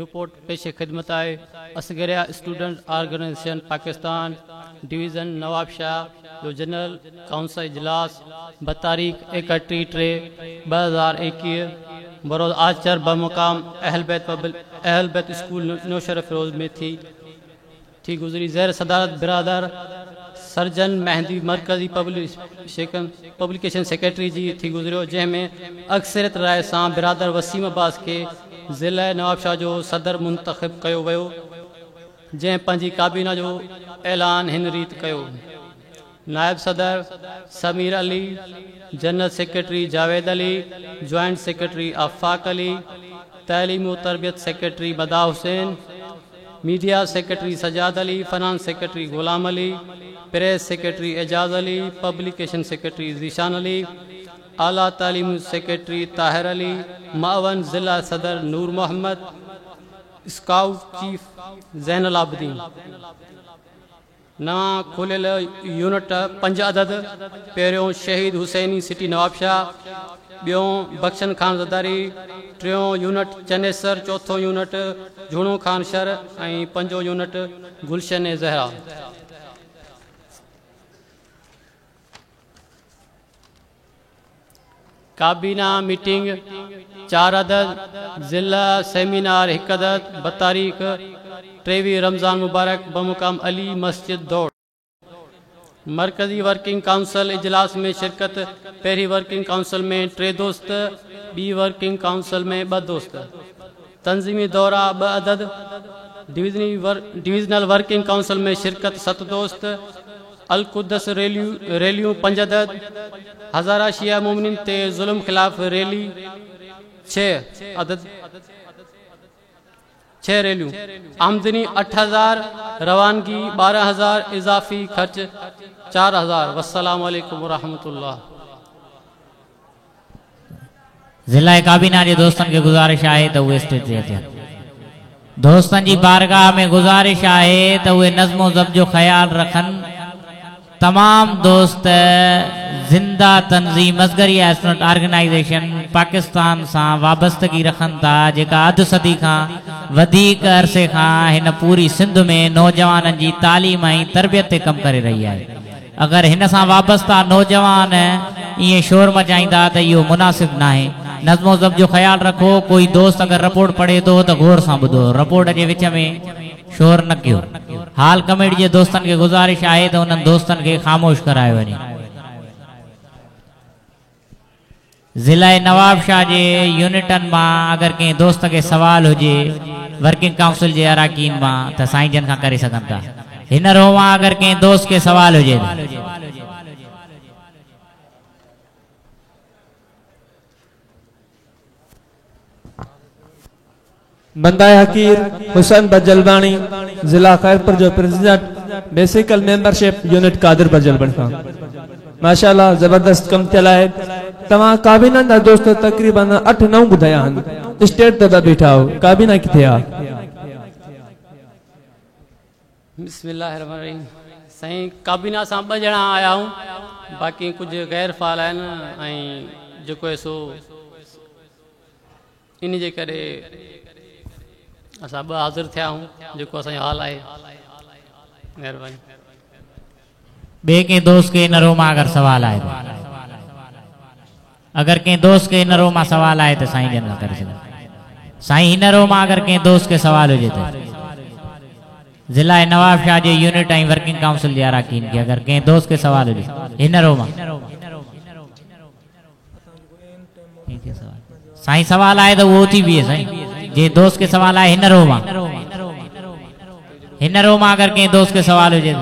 रिपोर्ट पेश ख़िदमत आहे। Askaria student organisation Pakistan division Nawabshah जो जनरल काउंसिल इजलास बतारीख़ 31/3/2021 बरोज़ आचर बमुकाम अहल बैत स्कूल नौशहरा फिरोज में थी गुज़री। ज़ेर सदारत बिरादर सर्जन मेहंदी मरकज़ी पब्लिकेशन सेक्रेटरी जी थी गुज़रियो, जंहिंमें अक्सरियत राय सां बिरादर वसीम अब्बास खे ज़िले नवाबशाह जो सदर मुंतख़िब कयो वियो, जंहिं पंहिंजी काबीना जो ऐलान हिन रीति कयो। नायब सदर Sameer Ali, general secretary Javed Ali, joint secretary Afaq Ali, तालीम व तरबियत secretary Bada Hussain, media secretary Sajjad Ali, finance secretary Ghulam Ali, press secretary Ejaz Ali, publication secretary Zeeshan Ali, आला तालीम सेक्रेटरी ताहिर अली, मावन ज़िला सदर नूर मोहम्मद, स्काउट चीफ ज़ैनुल आबिदीन। नवां खोलियल unit 5 अदद। पहिरियों शहीद हुसैनी सिटी नवाबशाह, ॿियो बख्शन खान ज़रदारी, टियों यूनिट चनेसर, चोथों यूनिट झूणो खान शहर ऐं पंजों यूनिट गुलशन ज़हरा। काबीना मीटिंग 4 अदद, ज़िला सेमिनार 1 अदद, बतारीख़ 23 रमज़ान मुबारक बमुकाम अली मस्जिद दौड़। मरकज़ी वर्किंग काउंसिल इजलास में शिरकत। पहिरीं वर्किंग काउंसिल में 3 दोस्त, ॿी वर्किंग काउंसिल में 2 दोस्त। तंज़ीमी दौरा 2 अदद। डिविजनल वर्किंग काउंसिल में शिरकत 7 दोस्त। अलकुदस रैलियूं 5 अदद। हज़ारा शिया मोमिनीन ते ज़ुल्म ख़िलाफ़ रैली 6 अदद, 6 रैलियूं। आमदनी 8000, रवानगी 12000, इज़ाफ़ी ख़र्च 4000। वस्सलामु अलैकुम वरहमतुल्लाह। ज़िला काबीना जे दोस्तनि खे गुज़ारिश आहे त उहे स्टेज ते अचनि। दोस्तनि जी बारगाह में गुज़ारिश आहे त उहे नज़्म ज़ब्त जो ख़्यालु रखनि। तमाम दोस्त ज़िंदा तंज़ीम असगरिया स्टूडेंट ऑर्गेनाइज़ेशन पाकिस्तान सां वाबस्तगी रखनि था, जेका अधु सदी खां वधीक अरसे खां हिन पूरी सिंध में नौजवाननि जी तालीम ऐं तरबियत ते कमु करे रही आहे। अगरि हिन सां वाबस्ता नौजवान ईअं शोर मचाईंदा त इहो मुनासिब नाहे। नज़्मो ज़ब्त जो ख़्यालु रखो। कोई दोस्त अगरि रिपोर्ट पढ़े थो त गौर सां ॿुधो, रिपोर्ट जे विच में शोर न कयो। हाल कमेटी जे दोस्तनि खे गुज़ारिश आहे त उन्हनि दोस्तनि खे ख़ामोश करायो वञे। ज़िला नवाबशाह जे यूनिटनि मां अगरि कंहिं दोस्त खे सवाल हुजे वर्किंग काउंसिल जे अराकीन मां त साईं जन खां करे सघनि था। हिन रो मां अगरि कंहिं दोस्त खे सवाल हुजे बंदा हकीर हुसैन बजलबाणी, ज़िला खैरपुर जो president, basical membership unit Qadir Bajalbani खां। माशाअल्लाह ज़बरदस्त कमु थियल आहे। तव्हां काबीना जा दोस्त तक़रीबन 8-9 ॿुधाया आहिनि, स्टेट ते पिया बीठा आहियो, काबीना किथे आहे? बिस्मिल्लाहिर्रहमानिर्रहीम। साईं काबीना सां 2 ॼणा आया आहियूं, बाक़ी कुझु गैर फ़ाल आहिनि ऐं जेको आहे सो इन जे करे असां 2 हाज़िर थिया आहियूं, जेको असांजो हाल आहे। महिरबानी। ॿिए कंहिं दोस्त खे इन रो मां अगरि सवाल आहे, अगरि कंहिं दोस्त खे इन रो मां सवाल आहे त साईं जन करे सघनि। साईं हिन रो मां अगरि कंहिं दोस्त खे सवाल हुजे त ज़िला नवाबशाह जे यूनिट ऐं वर्किंग काउंसिल जे अराकीन खे अगरि कंहिं दोस्त खे सवाल हुजे हिन रो मां साईं सवाल आहे त उहो थी बीहे। साईं जे दोस्त खे सवाल आहे हिन रो मां, हिन रो मां अगरि कंहिं दोस्त खे सवाल हुजे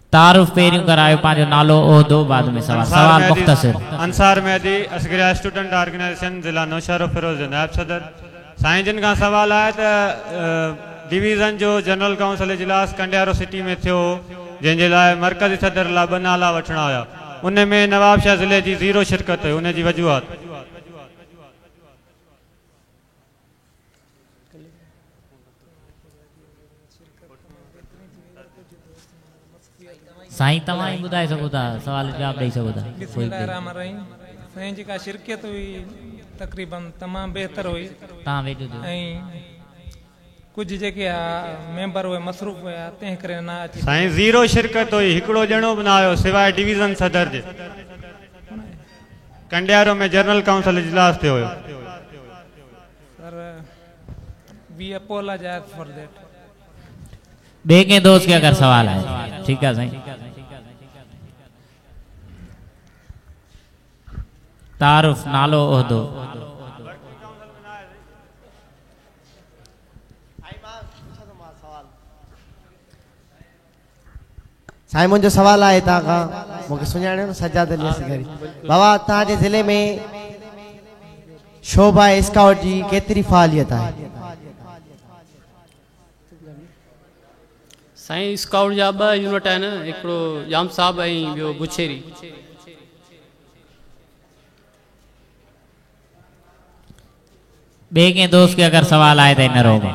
तारुफ़ पहिरियों करायो, पंहिंजो नालो ओहदो, बाद में सवाल। सवाल मुख़्तसिर। अंसार मेहदी, असगरिया स्टूडेंट ऑर्गेनाइज़ेशन ज़िला नौशहरो फिरोज़ जो नायब सदर। साईं जन खां सवाल आहे त डिवीज़न जो जनरल काउंसिल इजलास कंडियारो सिटी में थियो, जंहिंजे लाइ मरकज़ी सदर लाइ 2 नाला वठणा हुया, उन में नवाबशाह ज़िले जी 0 शिरकत हुई, उन जी वजूहात? साईं तव्हां ई ॿुधाए सघो था, सवाल जवाब ॾेई सघो था। बिस्मिल्लाहिर्रहमानिर्रहीम। साईं जेका शिरकत हुई तक़रीबन तमामु बहितर हुई। तव्हां वेझो थियो। ऐं कुझु जेके मेंबर हुए मसरूफ़ हुया, तंहिं करे न अची। साईं 0 शिरकत हुई, हिकिड़ो ॼणो बि न आयो सिवाए डिवीज़न सदर जे। कंडियारो में जनरल काउंसिल इजलास थियो हुयो। Sir we apologise for that. ॿिए कंहिं दोस्त खे अगरि सवाल आहे? ठीकु आहे साईं। तारुफ़, नालो, ओहदो। साईं मुंहिंजो सवाल आहे तव्हां खां, मूंखे सुञाणियो न, सजाद अली असगरी। बाबा तव्हांजे ज़िले में शोभा स्काउट जी केतिरी फ़ालियत आहे? साईं स्काउट जा 2 यूनिट आहिनि, हिकिड़ो जाम साहब ऐं ॿियो गुछेरी। ॿिए कंहिं दोस्त खे अगरि सवाल आहे त हिन रो मां।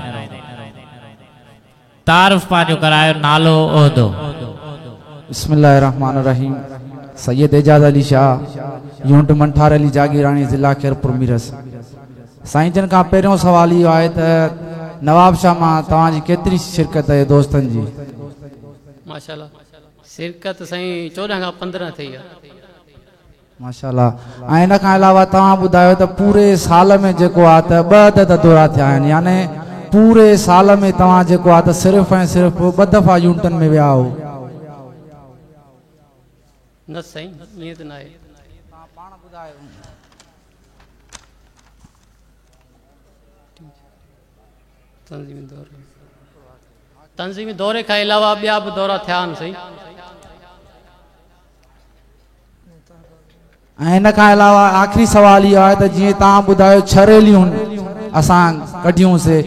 تعارف پنهنجو ڪرايو نالو عهدو. بسم الله الرحمٰن الرحيم سيد اعجاز علي شاهه يونٽ منٺار علي جاگيراڻي ضلع خيرپور ميرس سائين جن کان پهريون سوال اهو آهي ته نواب شاهه مان توهان جي ڪيتري شرڪت آهي دوستن جي. ماشاءالله شرڪت سائين 14 کان 15 ٿي آ. ماشاءالله ۽ ان کان علاوه توهان ٻڌايو ته پوري سال ۾ جيڪو آ ته ٻه عدد دورا ٿيا آهن يعني پوري سال ۾ توهان جيڪو آ ته صرف ۽ صرف ٻه دفعا يونٽن ۾ ويا آهو. نه سائين ائين ته ناهي. توهان پاڻ ٻڌايو. تنظيمي دوري تنظيمي دوري کان علاوه ٻيا به دورا ٿيا آهن سائين. ۽ ان کان علاوه آخري سوال اهو آهي ته جيئن توهان ٻڌايو ڇهه ريليون اسان ڪڍيون سي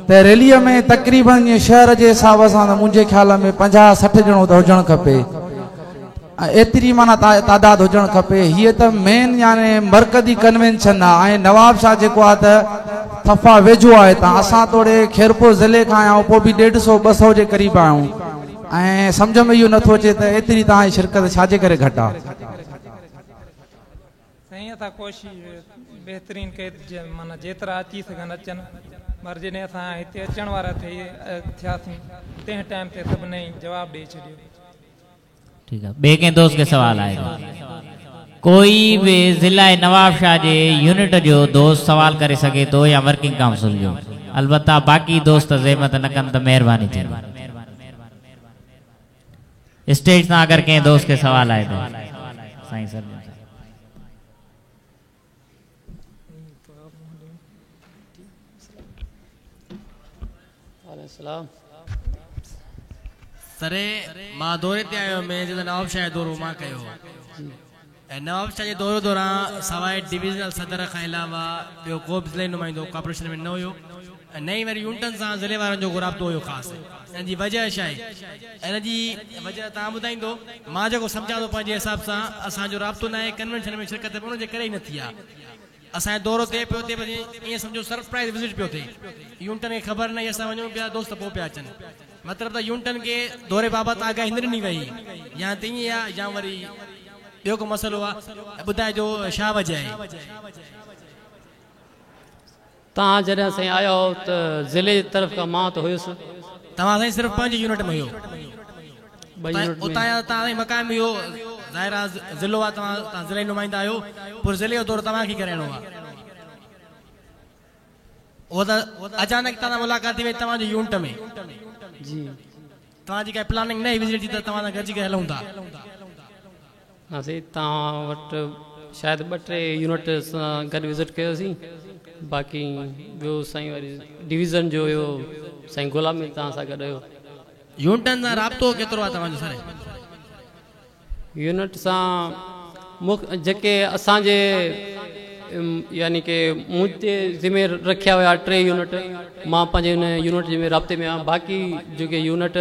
ته ريليء ۾ تقريبن جيئن شهر جي حساب سان ته منهنجي خيال ۾ 50 60 ڄڻو ته هجڻ کپي ۽ ايتري معنيٰ تعداد هجڻ کپي هيء ته مين يعني مرڪزي ڪنوينشن آهي ۽ نواب شاهه جيڪو آهي ته صفا ويجهو آهي هتان اسان توڙي خيرپور ضلعي کان آيا آهيون پوء به ڏيڍ سو ٻه سو جي قريب آهيون ۽ سمجهه ۾ اهو نٿو اچي ته ايتري توهان جي شرڪت ڇا جي ڪري گهٽ آهي. سائين اسان ڪوشش بهترين ڪئي ته معنيٰ جيترا اچي سگهن اچن مگر جڏهن اسان هتي اچڻ وارا ٿي ٿياسين تنهن ٽائيم تي سڀني جواب ڏئي ڇڏيو. ٺيڪ آ ٻئي ڪنهن دوست کي سوال آهي ته ڪوئي به ضلع نواب شاهه جي يونٽ جو دوست سوال ڪري سگهي ٿو يا ورڪنگ ڪائونسل جو البته باقي دوست زحمت نه ڪن ته مهرباني ٿيندي اسٽيج تان اگر ڪنهن دوست کي سوال آهي ته سائين سر السلام سر مان دوري تي آيو هيم جڏهن نواب شاهه جو دورو مان ڪيو هو ۽ نواب شاهه جي دوري دوران سواء ڊويزنل صدر کان علاوه ٻيو ڪو به ضلعي نمائندو ڪارپوريشن ۾ نه هيو ۽ نه ئي وري يونٽن سان ضلعي وارن جو ڪو رابطو هيو خاص ان جي وجه ڇا آهي ان جي وجه توهان ٻڌائيندو مان جيڪو سمجهان ٿو پنهنجي حساب سان اسان جو رابطو ناهي ڪنوينشن ۾ شرڪت به ان جي ڪري ئي نه ٿي آهي اسان جو دورو ٿئي پيو ٿئي بس ائين سمجهو سرپرائز وزٽ پيو ٿئي يونٽن کي خبر ناهي اسان وڃون پيا دوست پوء پيا اچن مطلب ته يونٽن کي دوري بابت آگاهي نه ڏني وئي يا ته ائين آهي يا وري ٻيو ڪو مسئلو آهي ٻڌائجو ڇا وجه آهي. توهان جڏهن سائين آيا هئو ته ضلعي جي طرف کان مان ته هيس. توهان سائين صرف پنهنجي يونٽ ۾ هيو. ٻه يونٽ ۾. اتان جا توهان سائين مقامي هيو ظاهر آ ضلعو آ توهان توهان ضلعي نمائندا آهيو پر ضلعي جو دورو توهان کي ڪرائڻو آ. اهو ته اچانڪ توهان سان ملاقات ٿي وئي توهان جي يونٽ ۾. جي. توهان جي ڪائي پلاننگ نه هئي وزٽ جي ته توهان سان گڏجي ڪري هلون ٿا. نه سائين توهان وٽ شايد ٻه ٽي يونٽ سان گڏ وزٽ ڪيوسين باقي ٻيو سائين وري ڊويزن جو هيو سائين غلام مير توهان سان گڏ هيو. يونٽن سان رابطو ڪيترو آهي توهان جو سر؟ يونٽ سان مک جيڪي اسان جي يعني ڪي مون تي ذمي رکيا ويا ٽي يونٽ مان پنهنجي ان يونٽ جي ۾ رابطي ۾ آهيان باقي جيڪي يونٽ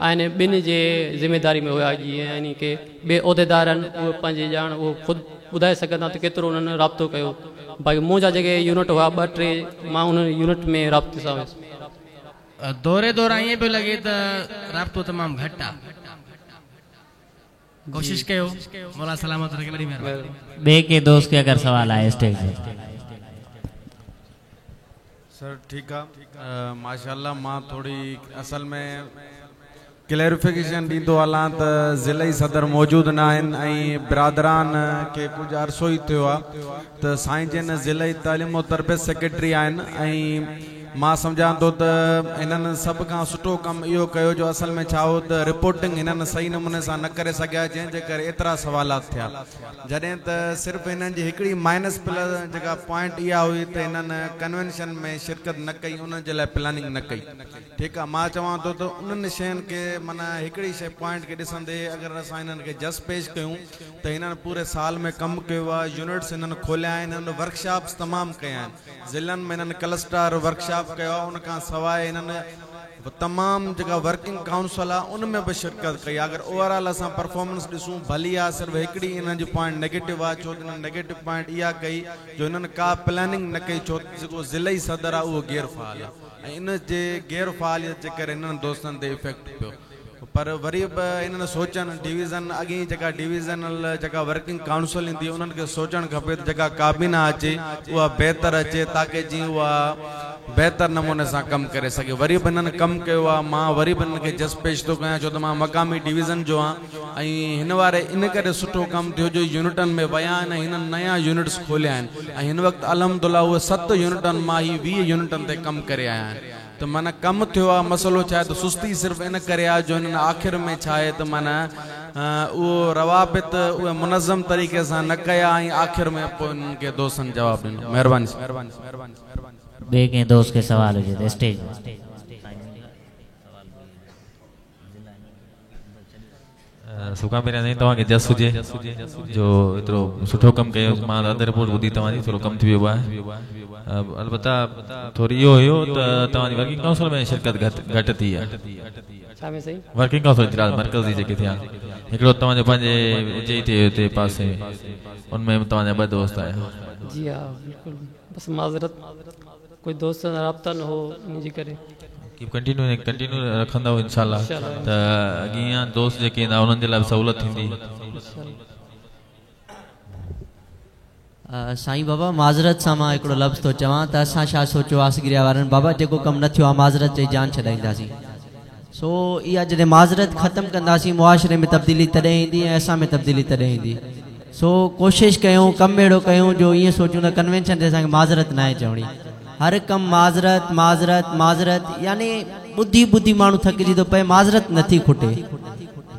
آهن ٻن جي ذميداري ۾ هيا جيئن يعني ڪي ٻئي عهديدار آهن اهي پنهنجي ڄاڻ اهو خود ٻڌائي سگهندا ته ڪيترو انهن رابطو ڪيو باقي منهنجا جيڪي يونٽ هيا ٻه ٽي مان انهن يونٽ ۾ رابطي سان هيس. دوري دوران ائين پيو لڳي ته رابطو تمام گهٽ آ. ڪوشش ڪيو مولا سلامت رکي وڏي مهرباني. ٻئي ڪنهن دوست کي اگر سوال آهي اسٽيج تي. سر ٺيڪ آ ماشاءالله مان ٿوري اصل ۾ ڪليريفڪيشن ڏيندو هلان ته ضلعي صدر موجود نه آهن ۽ برادران کي ڪجهه عرصو ئي ٿيو آ ته سائين جن ضلعي تعليم و تربيت سيڪريٽري آهن ۽ مان سمجهان ٿو ته هنن سڀ کان سٺو ڪم اهو ڪيو جو اصل ۾ ڇا هو ته رپورٽنگ هنن صحيح نموني سان نه ڪري سگهيا جنهن جي ڪري ايترا سوالات ٿيا جڏهن ته صرف هنن جي هڪڙي مائنس پلس جيڪا پوائنٽ اها هئي ته هنن ڪنوينشن ۾ شرڪت نه ڪئي ان جي لاء پلاننگ نه ڪئي ٺيڪ آ مان چوان ٿو ته انهن شين کي معنيٰ هڪڙي شي پوائنٽ کي ڏسندي اگر اسان هنن کي جس پيش ڪيون ته هنن پوري سال ۾ ڪم ڪيو آ يونٽس هنن کوليا آهن هنن ورڪشاپس تمام ڪيا آهن ضلعن ۾ هنن ڪلسٽر ورڪشاپ ڪيو آهي ان کان سواء هنن تمام جيڪا ورڪنگ ڪائونسل آ ان ۾ به شرڪت ڪئي آ اگر اوور آل اسان پرفارمنس ڏسون ڀلي آ صرف هڪڙي انهن جي پوائنٽ نيگيٽو آ ڇو ته انهن نيگيٽو پوائنٽ اها ڪئي جو انهن ڪا پلاننگ نه ڪئي ڇو ته جيڪو ضلعي صدر آ اهو غير فعال آ ۽ ان جي غير فعاليت جي ڪري انهن دوستن تي افيڪٽ پيو پر وري به انهن سوچن ڊويزن اڳي جيڪا ڊويزنل جيڪا ورڪنگ ڪائونسل ايندي انهن کي سوچڻ کپي ته جيڪا ڪابينا اچي اها بهتر اچي تاڪه جيئن اها بهتر نموني سان ڪم ڪري سگهي وري به انهن ڪم ڪيو آهي مان وري به انهن کي جس پيش ٿو ڪيان ڇو ته مان مقامي ڊويزن جو آهيان ۽ هن واري ان ڪري سٺو ڪم ٿيو جو يونٽن ۾ ويا آهن ۽ هنن نيا يونٽس کوليا آهن ۽ هن وقت الحمدلله اهي 7 يونٽن مان هي 20 يونٽن تي ڪم ڪري آيا آهن ته معنيٰ ڪم ٿيو آ مسئلو ڇا آهي ته سستي صرف ان ڪري آ جو هنن آخر ۾ ڇا آهي ته معنيٰ اهو روابط اهي منظم طريقي سان نه ڪيا ۽ آخر ۾ پوء انهن کي دوستن جواب ڏنو مهرباني. ٻئي ڪنهن دوست کي سوال هجي ته اسٽيج. سڀ کان پهريان سائين توهان کي جس هجي جو ايترو سٺو ڪم ڪيو مان اڌ رپورٽ ٻڌي توهان جي ٿورو ڪم ٿي ويو آهي البته ٿوري اهو هيو ته توهان جي ورڪنگ ڪائونسل ۾ شرڪت گهٽ گهٽ ٿي آهي ڇا ۾ سائين؟ ورڪنگ ڪائونسل اجلاس مرڪزي جيڪي ٿيا هڪڙو توهان جو پنهنجي جي تي هتي پاسي ان ۾ به توهان جا ٻه دوست آيا. جي ها بلڪل بس معذرت ڪجهه دوستن سان رابطا نه هو ان جي ڪري. ڪيپ ڪنٽينيو ڪنٽينيو رکندؤ انشاء الله ته اڳيان دوست جيڪي ايندا انهن جي لاء به سهولت ٿيندي. سائين بابا معذرت سان مان هڪڙو لفظ ٿو چوان ته اسان ڇا سوچيو آسگريا وارن بابا جيڪو ڪم نه ٿيو آ معذرت چئي جان ڇڏائينداسين سو اها جڏهن معذرت ختم ڪنداسين معاشري ۾ تبديلي تڏهن ايندي ۽ اسان ۾ تبديلي تڏهن ايندي سو ڪوشش ڪيون ڪم اهڙو ڪيون جو ائين سوچون ته ڪنوينشن تي اسان کي معذرت ناهي چوڻي هر ڪم معذرت معذرت معذرت يعني ٻڌي ٻڌي ماڻهو ٿڪجي ٿو پئي معذرت نٿي کٽي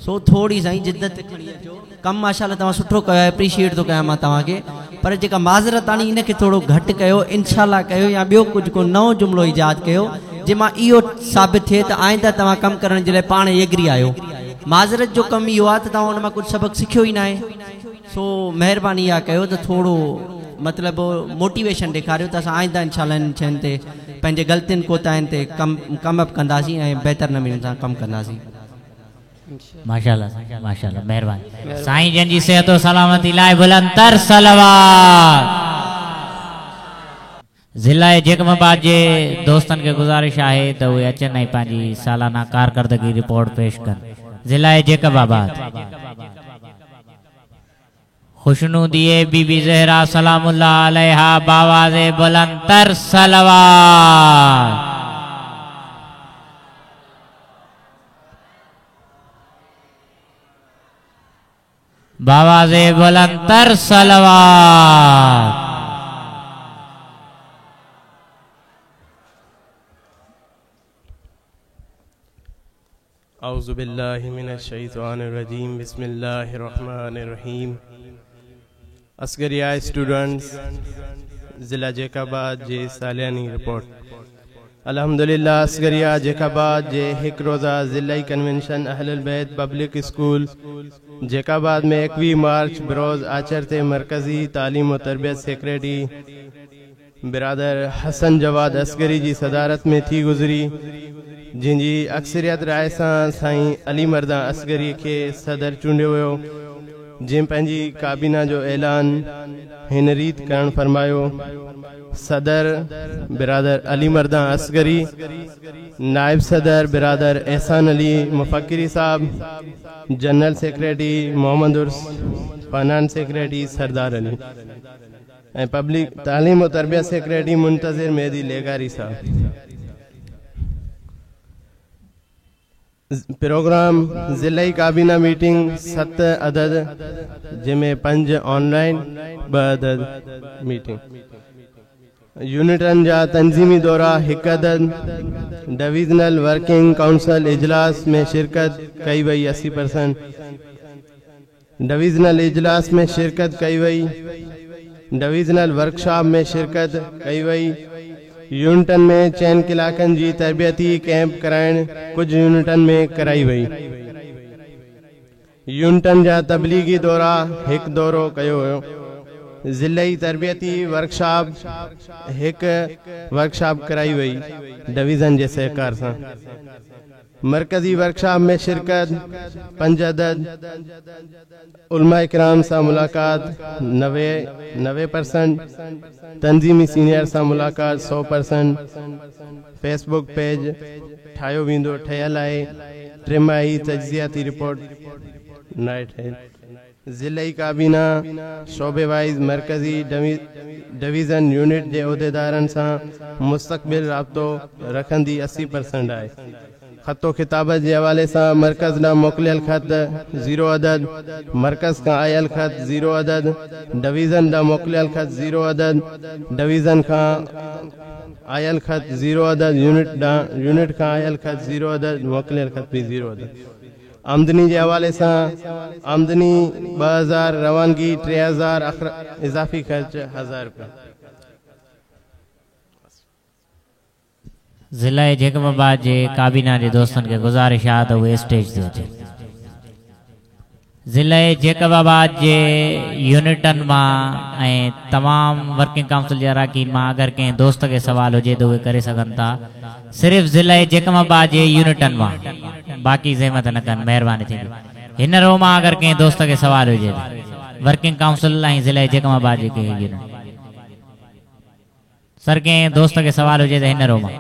سو ٿوري سائين جدت کڻي اچو ڪم ماشاءالله توهان سٺو ڪيو آهي اپريشيئيٽ ٿو ڪيان مان توهان کي پر جيڪا معذرت آڻي ان کي ٿورو گهٽ ڪيو انشاء الله ڪيو يا ٻيو ڪجهه ڪو نئون جملو ايجاد ڪيو جنهن مان اهو ثابت ٿئي ته آئنده توهان ڪم ڪرڻ جي لاء پاڻ ايگري آهيو معذرت جو ڪم اهو آهي ته توهان ان مان ڪجهه سبق سکيو ئي ناهي سو مهرباني اها ڪيو ته ٿورو مطلب موٽيويشن ڏيکاريو ته اسان آئنده انشاء الله انهن شين تي پنهنجي غلطين ڪوتاهين تي ڪم ڪم اپ ڪنداسين ۽ بهتر نموني سان ڪم ڪنداسين. ماشاءالله ماشاءالله مهرباني سائين جن جي صحت و سلامتي لاء بلند تر صلوات. ضلعي جيڪب آباد جي دوستن کي گذارش آهي ته اهي اچن ۽ پنهنجي سالانه ڪارڪردگي رپورٽ پيش ڪن. ضلعي جيڪب آباد. خوشنودي بي بي زهرا سلام الله عليها باواز بلند تر صلوات. باواز بلند تر صلوات. اعوذ بالله من الشيطان الرجيم بسم الله الرحمن الرحيم عسڪريه اسٽوڊنٽس ضلع جيڪب آباد جي سالياني رپورٽ الحمدلله عسڪريه جيڪب آباد جي هڪ روزه ضلعي ڪنوينشن اهل البيت پبلڪ اسڪول جيڪب آباد ۾ 21 مارچ بروز آچر تي مرڪزي تعليم و تربيت سيڪريٽري برادر حسن جواد عسڪري جي صدارت ۾ ٿي گذري جنهن جي اڪثريت راء سان سائين علي مردان عسڪري کي صدر چونڊيو ويو جنهن پنهنجي ڪابينا جو اعلان هن ريت ڪرڻ فرمايو، صدر، برادر علي مردان عسڪري، نائب صدر، برادر احسان علي مفڪري صاحب، general secretary Muhammad Urs, finance secretary Sardar Ali ۽ public تعليم و تربيت سيڪريٽري منتظر مهدي لغاري صاحب. پروگرام، ضلعي ڪابينا ميٽنگ 7 عدد جنهن ۾ 5 آن لائين 2 عدد ميٽنگ، يونٽن جا تنظيمي دورا 1 عدد، ڊويزنل ورڪنگ ڪائونسل اجلاس ۾ شرڪت ڪئي وئي 80%، ڊويزنل اجلاس ۾ شرڪت ڪئي وئي، ڊويزنل ورڪشاپ ۾ شرڪت ڪئي وئي، يونٽن ۾ چئن ڪلاڪن جي تربيتي ڪئمپ ڪرائڻ ڪجهه يونٽن ۾ ڪرائي وئي، يونٽن جا تبليغي دورا هڪ دورو ڪيو ويو. ضلعي تربيتي ورڪشاپ هڪ ورڪشاپ ڪرائي وئي ڊويزن جي سهڪار سان. مرڪزي ورڪشاپ ۾ شرڪت پنج عدد، علماء ڪرام سان ملاقات 90%، تنظيمي سينيئر سان ملاقات 100%، فيس بڪ پيج ٺاهيو ويندو ٺهيل آهي، ٽماهي تجزياتي رپورٽ ناهي ٺهيل. ضلعي ڪابينا شعبي وائيز مرڪزي ڊويزن يونٽ جي عهديدارن سان مستقل رابطو رکندي 80% آهي. خط و خطابت جي حوالي سان مرڪز ڏانهن موڪليل خط زيرو عدد، مرڪز کان آيل خط زيرو عدد، ڊويزن ڏانهن موڪليل خط زيرو عدد، ڊويزن کان آيل خط زيرو عدد، يونٽ ڏانهن يونٽ کان آيل خط زيرو عدد، موڪليل خط به زيرو عدد. آمدني جي حوالي سان آمدني 2000، روانگي 3000، اضافي خرچ 1000 رپيا. ضلعي جيڪب آباد جي ڪابينا جي دوستن کي گذارش آ ته اهي اسٽيج تي اچن. ضلعي جيڪب آباد جي يونٽن مان ۽ تمام ورڪنگ ڪائونسل جي اراڪين مان اگر ڪنهن دوست کي سوال هجي ته اهي ڪري سگهن ٿا. صرف ضلعي جيڪب آباد جي يونٽن مان باقي زحمت نه ڪن مهرباني ٿيندي. هن رو مان اگر ڪنهن دوست کي سوال هجي ته ورڪنگ ڪائونسل ۽ ضلعي جيڪب آباد جي ڪنهن يونٽ سر ڪنهن دوست کي سوال هجي ته هن رو مان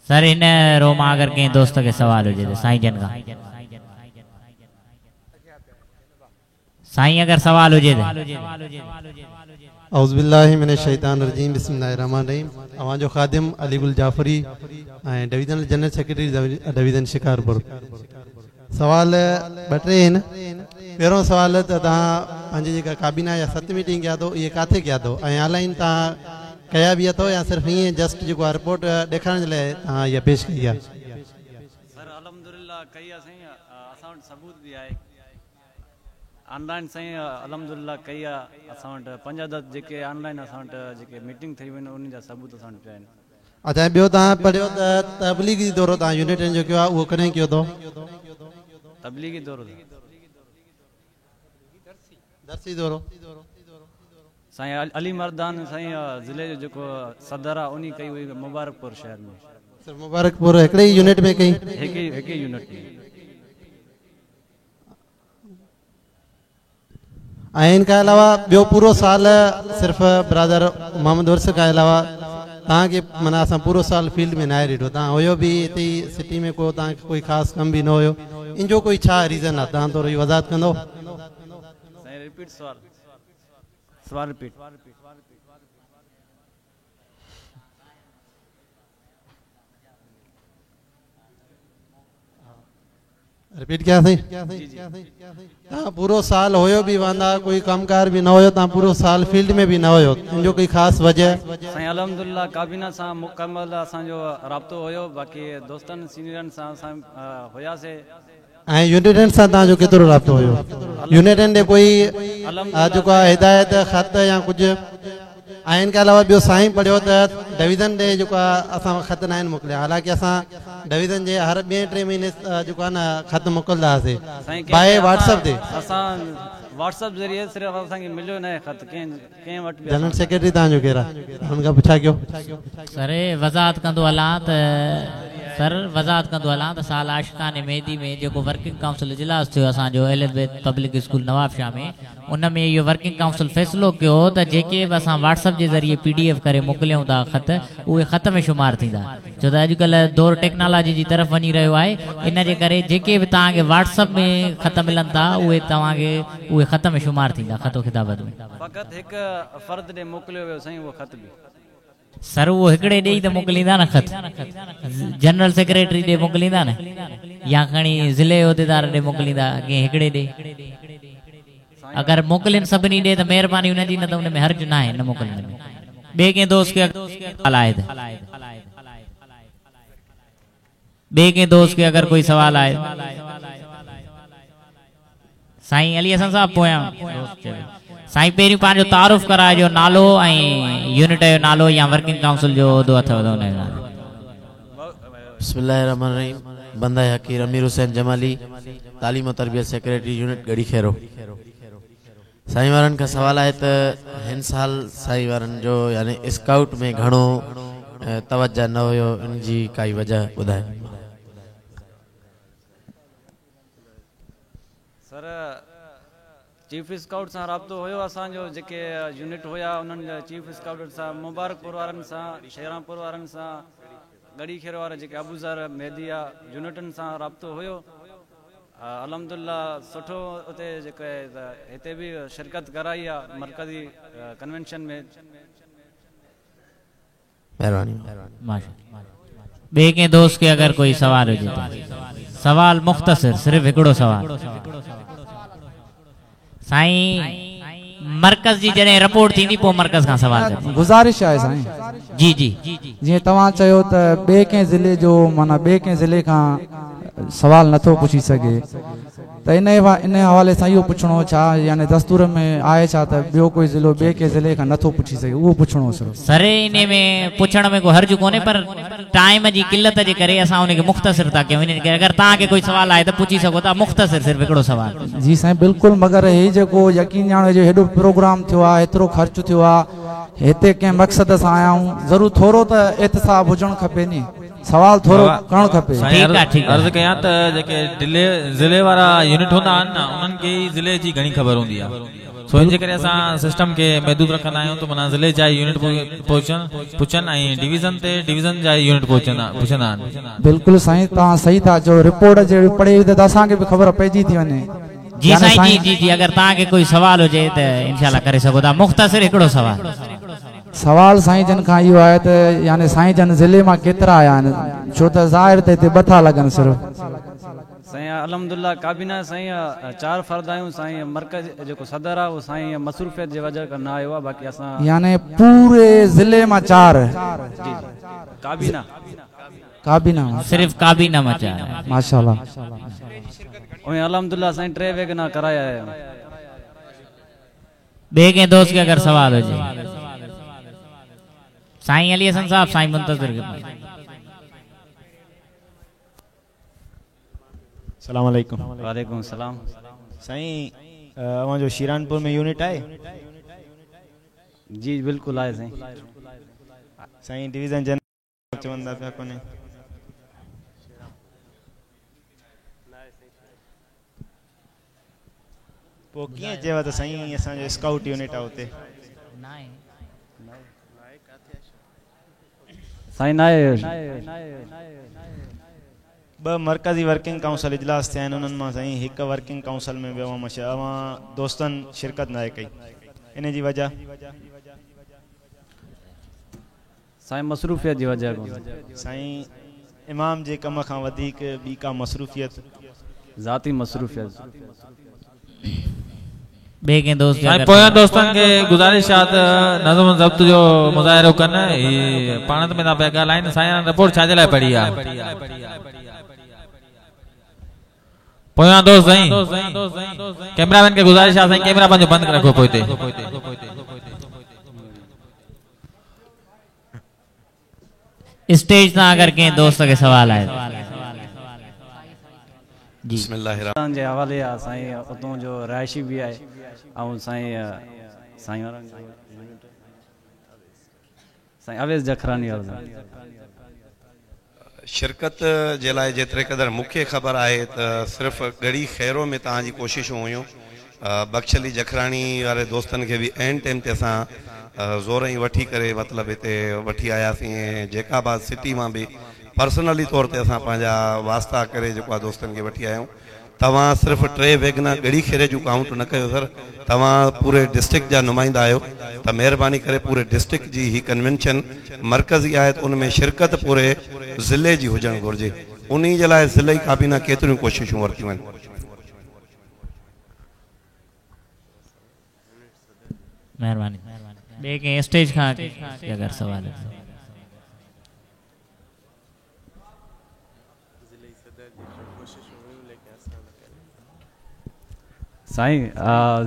سر هن رو مان اگر ڪنهن دوست کي سوال هجي ته سائين جن کان سائين اگر سوال هجي ته. اعوذ بالله من الشيطان الرجيم بسم الله الرحمن الرحيم اوهان جو خادم Ali Gul Jafri ۽ divisional general secretary division Shikarpur سوال ٻه ٽي آهن پهريون سوال ته توهان پنهنجي جيڪا ڪابينا جا ست ميٽنگ ڪيا اٿو اهي ڪاٿي ڪيا اٿو ۽ آن لائن توهان ڪيا به اٿو يا صرف ائين جسٽ جيڪو آهي رپورٽ ڏيکارڻ جي لاء توهان اها پيش ڪئي آهي. سر الحمدلله ڪئي آهي سائين اسان وٽ ثبوت به آهي. آن لائن سائين الحمدلله ڪئي آ اسان وٽ پنج عدد جيڪي آن لائن اسان وٽ جيڪي ميٽنگ ٿي ويون انهن جا ثبوت اسان وٽ پيا آهن. اچا ۽ ٻيو توهان پڙهيو ته تبليغي دورو توهان يونٽن جو ڪيو آ اهو ڪڏهن ڪيو اٿو؟ تبليغي دورو درسي دورو. سائين علي مردان سائين ضلعي جو جيڪو صدر آ انهي ڪئي هئي مبارڪپور شهر ۾. صرف مبارڪپور هڪڙي ئي يونٽ ۾ ڪئي؟ هڪ ئي يونٽ ۾. ۽ ان کان علاوه ٻيو پورو سال صرف برادر محمد عرس کان علاوه توهان کي معنيٰ اسان پورو سال فيلڊ ۾ ناهي ڏٺو توهان هيو به هتي ئي سٽي ۾ ڪو توهان کي ڪوئي خاص ڪم به نه هيو ان جو ڪوئي ڇا ريزن آهي توهان ٿورو وضاحت ڪندو. سائين رپيٽ سوال سوال رپيٽ. رپيٽ ڪيان سائين توهان پورو سال هيو به واندا ڪوئي ڪم ڪار به نه هيو توهان پورو سال فيلڊ ۾ به نه هيو ان جو ڪوئي خاص وجه. سائين الحمدلله ڪابينا سان مڪمل اسان جو رابطو هيو باقي دوستن سينيئرن سان اسان هياسي. ۽ يونٽن سان توهان جو ڪيترو رابطو هيو يونٽن ڏي ڪوئي جيڪو آهي هدايت خط يا ڪجهه. ۽ ان کان علاوه ٻيو سائين پڙهيو ته ڊويزن ڏي جيڪو آهي اسان خط ناهن موڪليا حالانڪه اسان ڊويزن جي هر ٻئي ٽئين مهيني جيڪو آهي نه خط موڪلدا هئاسي باء واٽس اپ تي. اسان واٽس اپ ذريعي صرف اسان کي مليو ناهي خط ڪنهن ڪنهن وٽ به. جنرل سيڪريٽري توهان جو ڪير آهي ان کان پڇا ڪيو. سر وضاحت ڪندو هلان ته سر وضاحت ڪندو هلان ته سال عاشقان مهدي ۾ جيڪو ورڪنگ ڪائونسل اجلاس ٿيو اسان جو اهل بيت پبلڪ اسڪول نوابشاهه ۾ ان ۾ اهو ورڪنگ ڪائونسل فيصلو ڪيو هو ته جيڪي به اسان واٽس اپ جي ذريعي پي ڊي ايف ڪري موڪليون ٿا خط اهي خط ۾ شمار ٿيندا ڇو ته اڄڪلهه دور ٽيڪنالاجي جي طرف وڃي رهيو آهي ان جي ڪري جيڪي به توهان کي واٽس اپ ۾ خط ملن ٿا اهي توهان کي اهي خط ۾ شمار ٿيندا خط و خطابت ۾. فقط هڪ فرد ڏي موڪليو ويو سائين اهو خط به. سر اهو هڪڙي ڏي ئي ته موڪليندا نه خط جنرل سيڪريٽري ڏي موڪليندا نه يا کڻي ضلعي عهديدار ڏي موڪليندا ڪنهن هڪڙي ڏي اگر موڪلين سڀني ڏي ته مهرباني انهن جي نه ته ان ۾ حرج ناهي نه موڪلڻ ۾ ٻئي ڪنهن دوست کي سوال آهي ته ٻئي ڪنهن دوست کي اگر ڪوئي سوال آهي سائين علي حسن صاحب پويان دوست چوي سائين پهريون پنهنجو تعارف ڪرائجو نالو ۽ يونٽ جو نالو يا ورڪنگ ڪائونسل جو عهدو اٿو ته ان جو نالو. بسم الله الرحمن الرحيم بنده حقير امير حسين جمالي تعليم و تربيت سيڪريٽري يونٽ ڳڙهي خيرو. साईं वारनि खां सवाल आहे त हिन साल साईं वारनि जो यानी स्काउट में घणो तवज्जो न हुयो, इन जी काई वजह ॿुधायो। सर चीफ स्काउट सां राब्तो हुयो असांजो, जेके यूनिट हुया उन्हनि जा चीफ स्काउट सां, मुबारकपुर वारनि सां, शेरामपुर वारनि सां, गड़ी खेरो वारा जेके अबूज़र मेहदिया यूनिटनि सां राब्तो हुयो। अल्हम्दुलिल्लाह सुठो उते जेके हिते बि शिरकत कराई आहे मरकज़ी कन्वेंशन में। महिरबानी। ॿिए कंहिं दोस्त खे अगरि कोई सवाल हुजे त सवाल मुख़्तसिर, सिर्फ़ हिकिड़ो सवाल। साईं मरकज़ जी जॾहिं रिपोर्ट थींदी पोइ मरकज़ खां सवाल कयो। गुज़ारिश आहे साईं। जी जी, जीअं तव्हां चयो त ॿिए कंहिं ज़िले जो माना ॿिए कंहिं ज़िले खां सवाल नथो पुछी सघे, त इन इन हवाले सां इहो पुछणो छा यानी दस्तूर में आहे छा त ॿियो कोई ज़िलो ॿिए कंहिं ज़िले खां नथो पुछी सघे, उहो पुछणो सिर्फ़। सर इन में पुछण में को हर्ज कोन्हे, पर टाइम जी किल्लत जे करे असां उनखे मुख़्तसिर था कयूं। इन करे अगरि तव्हांखे कोई सवाल आहे त पुछी सघो था, मुख़्तसिर सिर्फ़ हिकिड़ो सवाल। जी साईं बिल्कुलु, मगर ही जेको यकीन ॼाणो जो हेॾो प्रोग्राम थियो आहे, एतिरो ख़र्चु थियो आहे, हिते कंहिं मक़सद सां आया आहियूं, ज़रूरु थोरो त एहतसाब हुजणु खपे नी, सवाल थोरो करणु खपे। ठीकु आहे, ठीकु आहे। अर्ज़ु कयां त जेके ज़िले वारा यूनिट हूंदा आहिनि न, उन्हनि खे ई ज़िले जी घणी ख़बर हूंदी आहे। सो इन जे करे असां सिस्टम खे महदूद रखंदा आहियूं त माना ज़िले जा यूनिट पुछनि ऐं डिवीज़न ते डिवीज़न जा यूनिट पुछंदा आहिनि। बिल्कुलु साईं, तव्हां सही था चओ। रिपोर्ट जहिड़ी पढ़े त असांखे बि ख़बर पइजी थी वञे। जी साईं, जी जी जी, अगरि तव्हांखे कोई सवाल हुजे त इंशाल्लाह करे सघो था। मुख़्तसिर हिकिड़ो सवाल। सवाल साईं जन खां इहो आहे त यानी साईं जन ज़िले मां केतिरा आया आहिनि, छो त ज़ाहिर त हिते ॿ था लॻनि सिर्फ़। साईं अल्हम्दुलिल्लाह काबीना साईं 4 फ़र्द आहियूं। साईं मरकज़ जेको सदर आहे उहो साईं मसरूफ़ियत जे वजह खां न आयो आहे, बाक़ी असां यानी पूरे ज़िले मां 4। जी जी, काबीना काबीना सिर्फ़ काबीना मां 4। माशाअल्लाह। ऐं अल्हम्दुलिल्लाह साईं 3 वैगना कराया आहे। ॿिए कंहिं दोस्त खे अगरि सवाल हुजे। साईं अली हसन साहब, साईं मुंतज़िर खे। सलाम अलैकुम। वालेकुम सलाम। साईं अव्हांजो शीरानपुर में यूनिट आहे? जी बिल्कुलु आहे साईं। साईं डिवीज़न जनरल चवंदा पिया कोन्हे? पोइ कीअं चइबो त साईं असांजो स्काउट यूनिट आहे उते? साईं नाहे। ॿ मरकज़ी वर्किंग काउंसिल इजलास थिया आहिनि, उन्हनि मां साईं हिकु वर्किंग काउंसिल में बि अव्हां दोस्तनि शिरकत न आहे कई, इन जी वजह? साईं मसरूफ़ियत जी वजह खां। साईं इमाम जे कम खां वधीक ॿी का मसरूफ़ियत? ज़ाती मसरूफ़ियत। ॿिए कंहिं दोस्त साईं पोयां दोस्तनि खे गुज़ारिश आहे त नज़म ज़ब्त जो मुज़ाहिरो कनि। ही पाण में था पिया ॻाल्हाइनि। साईं रिपोर्ट छा जे लाइ पढ़ी आहे? पोयां दोस्त साईं कैमरामैन खे गुज़ारिश आहे साईं कैमरा पंहिंजो बंदि रखो पोइ ते। स्टेज तां अगरि कंहिं दोस्त खे सवाल आहे। जी बिस्मिल्लाह जे हवाले आहे साईं, उतां जो रिहाइशी बि आहे ऐं साईं साईं वारनि साईं अवेज़ जखरानी वारो। शिरकत जे लाइ जेतिरे क़दुरु मूंखे ख़बर आहे त सिर्फ़ु गड़ी ख़ैरो में तव्हांजी कोशिशूं हुयूं। बख़्श अली जखराणी वारे दोस्तनि खे बि ऐन टाइम ते असां ज़ोर ई वठी करे मतिलबु हिते वठी आयासीं। ऐं जेकाबाद सिटी मां बि पर्सनली तौर ते असां पंहिंजा वास्ता करे जेको आहे दोस्तनि खे वठी आया आहियूं। तव्हां सिर्फ़ु 3 वैगना गड़ी खेरे जूं काउंट न कयो सर, तव्हां पूरे डिस्ट्रिक्ट जा नुमाइंदा आहियो त महिरबानी करे पूरे डिस्ट्रिक्ट जी ही कन्वेंशन मरकज़ी आहे त उन में शिरकत पूरे ज़िले जी हुजणु घुरिजे। उन जे लाइ ज़िले काबीना केतिरियूं कोशिशूं वरितियूं आहिनि। महिरबानी। ॿिए कंहिं स्टेज खां अगरि सवाल। साईं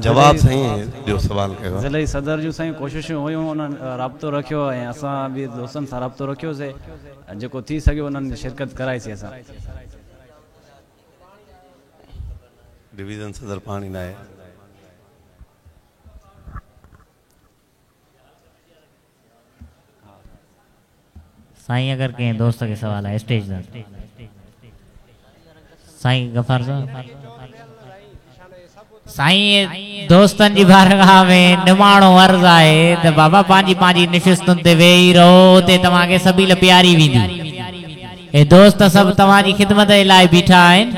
जवाब साईं ॿियो सवाल कयो। ज़िले सदर जूं साईं कोशिशूं हुयूं, उन्हनि राब्तो रखियो ऐं असां बि दोस्तनि सां राब्तो रखियोसीं, जेको थी सघियो उन्हनि शिरकत कराईसीं असां। डिवीज़न सदर पाणी न आहे। साईं अगरि कंहिं दोस्त खे सवाल आहे स्टेज ते। साईं गफ़ार साहब, साईं दोस्तनि जी बारगाह में निमाणो अर्ज़ आहे त बाबा पंहिंजी पंहिंजी निशिस्तुनि ते वेही रहो, उते तव्हांखे सबील प्यारी वेंदी। हे दोस्त सभु तव्हांजी ख़िदमत जे लाइ बीठा आहिनि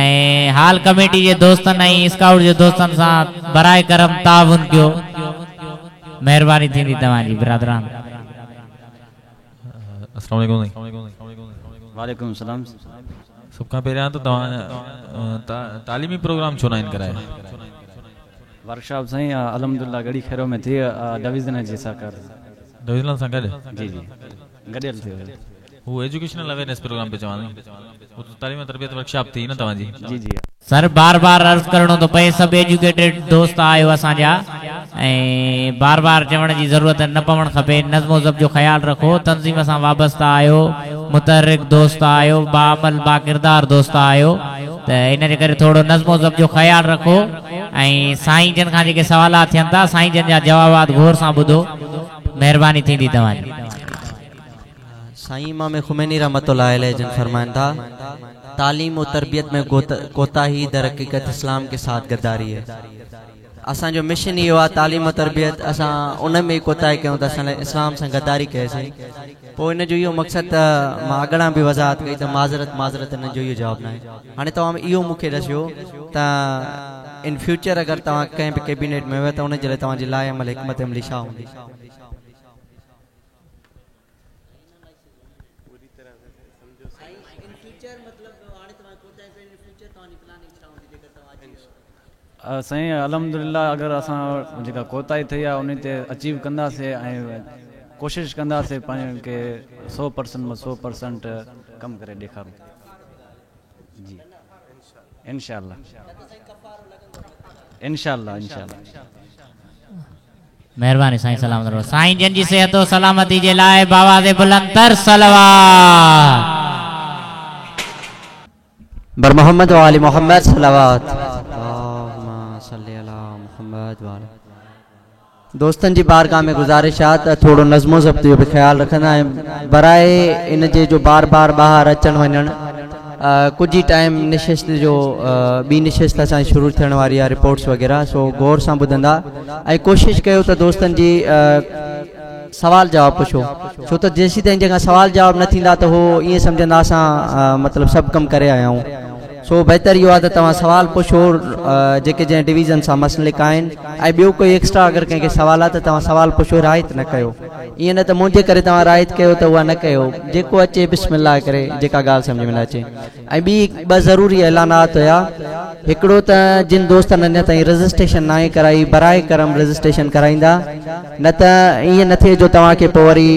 ऐं हाल कमेटी जे दोस्तनि ऐं स्काउट जे दोस्तनि सां बराए करम ताउन कयो, महिरबानी थींदी तव्हांजी बिरादरान। अस्सलाम वालेकुम। वालेकुम सलाम। सभ खां पहिरियां त तव्हां तालीमी प्रोग्राम छो न आहिनि कराए? वर्कशॉप साईं अल्हम्दुलिल्लाह गड़ी खैरो में थी, डिवीज़न जे सहकार डिवीज़न सां गॾु? जी जी गॾियल थियो। हू एजुकेशनल अवेयरनेस प्रोग्राम पे चवां, हू त तालीम तरबियत वर्कशॉप थी न तव्हांजी? जी जी सर, बार बार अर्ज़ करिणो थो पए, सभु एजुकेटेड दोस्त आहियो असांजा ऐं बार बार चवण जी ज़रूरत न पवणु खपे। नज़्मो ज़ब्त जो ख़्यालु रखो, तंज़ीम सां वाबस्ता आहियो, मुतहरिक दोस्त आहियो, बाअमल बाकिरदार दोस्त आहियो, त इन जे करे थोरो नज़्मो ज़ब्त जो ख़्यालु रखो ऐं साईं जन खां जेके सवालात थियनि था साईं जन जा जवाबात गौर सां ॿुधो, महिरबानी थींदी तव्हांजी। साईं इमाम खुमैनी रहमतुल्लाह अलैह जन फरमाइनि था, तालीम और तरबियत में कोताही दर हकीकत इस्लाम के साथ गद्दारी है। असांजो मिशन इहो आहे तालीम और तरबियत, असां उन में कोताही कयूं त असां इस्लाम सां गद्दारी कईसीं। पोइ इन जो इहो मक़सदु त मां अॻियां बि वज़ाहत कई त माज़रत माज़रत इन जो इहो जवाबु न आहे। हाणे तव्हां इहो मूंखे ॾिसियो त इन फ्यूचर अगरि तव्हां कंहिं बि कैबिनेट में वियो त उन जे लाइ तव्हांजी लाइ अमल हिकमत अमली छा हूंदी? साईं अल्हम्दुलिल्लाह अगरि असां जेका कोताही थी आहे उन ते अचीव कंदासीं ऐं कोशिशि कंदासीं पंहिंजे खे 100% मां 100% कमु करे ॾेखारूं। जी इंशाअल्लाह इंशाअल्लाह इंशाअल्लाह। महिरबानी साईं, सलामत रहो। साईं जन जी सेहत और सलामती जे लाइ बावाज़े बुलंद तर सलावत। बर मोहम्मद वाली मोहम्मद सलावत। दोस्तनि जी बारगाह में गुज़ारिश आहे त थोरो नज़्मो ज़ब्त जो बि ख़्यालु रखंदा ऐं बराए इन जे जो बार बार ॿाहिरि अचणु वञणु, कुझु ई टाइम निशिस्त जो ॿी निशिस्त असांजी शुरू थियण वारी आहे रिपोर्ट्स वग़ैरह, सो गौर सां ॿुधंदा ऐं कोशिशि कयो त दोस्तनि जी सवाल जवाब पुछो, छो त जेसीं ताईं जंहिंखां सवाल जवाब न थींदा त हू ईअं सम्झंदा असां मतिलबु सभु कमु करे आया आहियूं। सो बहितर इहो आहे त तव्हां सवाल पुछो जेके जंहिं डिवीज़न सां मसलिक आहिनि ऐं ॿियो कोई एक्स्ट्रा अगरि कंहिंखे सवाल आहे त तव्हां सवाल पुछो, रायत न कयो। ईअं न त मुंहिंजे करे तव्हां रायत कयो त उहा न कयो, जेको अचे बिस्मिल्लाह करे जेका ॻाल्हि सम्झ में न अचे। ऐं ॿी ॿ ज़रूरी ऐलानात हुया, हिकिड़ो त जिन दोस्तनि अञा ताईं रजिस्ट्रेशन न आहे कराई, बराए करम रजिस्ट्रेशन कराईंदा, न त ईअं न थिए जो तव्हांखे पोइ वरी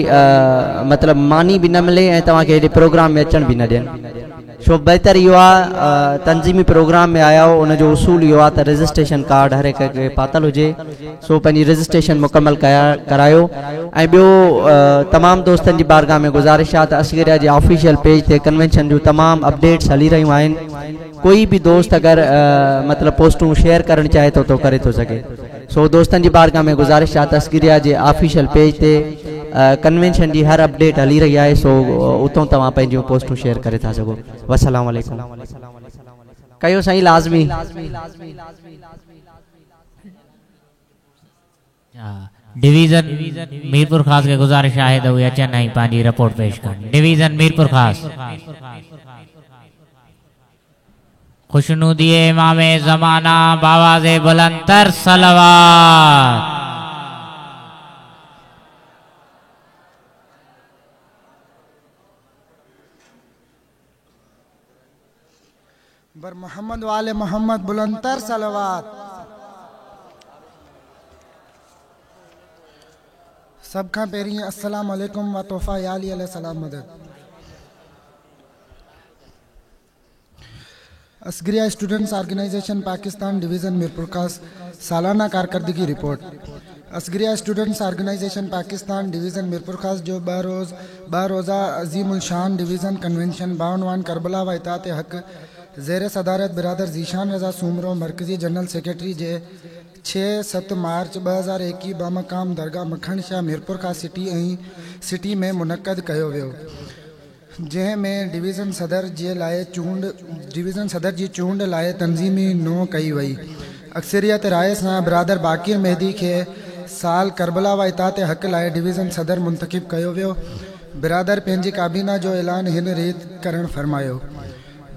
मतिलबु मानी बि न मिले ऐं तव्हांखे हेॾे प्रोग्राम में अचणु बि न ॾियनि। छो बहितर इहो आहे तंज़ीमी प्रोग्राम में आया हो उनजो उसूल इहो आहे त रजिस्ट्रेशन कार्ड हर हिक खे पातल हुजे, सो पंहिंजी रजिस्ट्रेशन मुकमल करायो। ऐं ॿियो तमामु दोस्तनि जी बारगाह में गुज़ारिश आहे त असगरिया जे ऑफिशियल पेज ते कन्वेंशन जूं तमामु अपडेट्स हली रहियूं आहिनि, कोई बि दोस्त अगरि मतिलबु पोस्टूं शेयर करणु चाहे थो त करे थो सघे। सो दोस्तनि जी बारगाह में गुज़ारिश आहे त असगरिया जे ऑफिशियल पेज ते कन्वेंशन जी हर अपडेट हली रही आहे, सो उतां तव्हां पंहिंजियूं पोस्टूं शेयर करे था सघो। वसलाम अलैकुम। कयो साईं लाज़मी। डिवीज़न मीरपुर ख़ास खे गुज़ारिश आहे त उहे अचनि ऐं पंहिंजी रिपोर्ट पेश कनि। डिवीज़न मीरपुर ख़ास। खुशनुदी इमाम ज़माना बावाज़े बुलंद तर सलवात। बर मोहम्मद वाले मोहम्मद बुलंदतर सलवात। सब खां पहिरीं अस्सलाम वालेकुम व तोहफ़ा या अली अलैहि सलाम मदद। Asgariya students organisation Pakistan division Mirpurkhas सालाना कारकर्दगी report. Asgariya students organisation Pakistan division Mirpurkhas जो ॿ रोज़ा अज़ीम उल शान डिवीज़न कन्वेंशन बाउनवान करबला व इतात हक़ زير صدارت برادر ذيشان رضا سومرو مرڪزي جنرل سيڪريٽري جي 6، 7 مارچ 2021 بمقام درگاهه مکڻ شاهه ميرپورخاص سٽي ۽ سٽي ۾ منعقد ڪيو ويو جنهن ۾ ڊويزن صدر جي لاء چونڊ ڊويزن صدر جي چونڊ لاء تنظيمي نو ڪئي وئي اڪثريت راءِ سان برادر باقر مهدي کي سال ڪربلا و اطاعت حق لاءِ ڊويزن صدر منتخب ڪيو ويو برادر پنهنجي ڪابينا جو اعلان هن ريت ڪرڻ فرمايو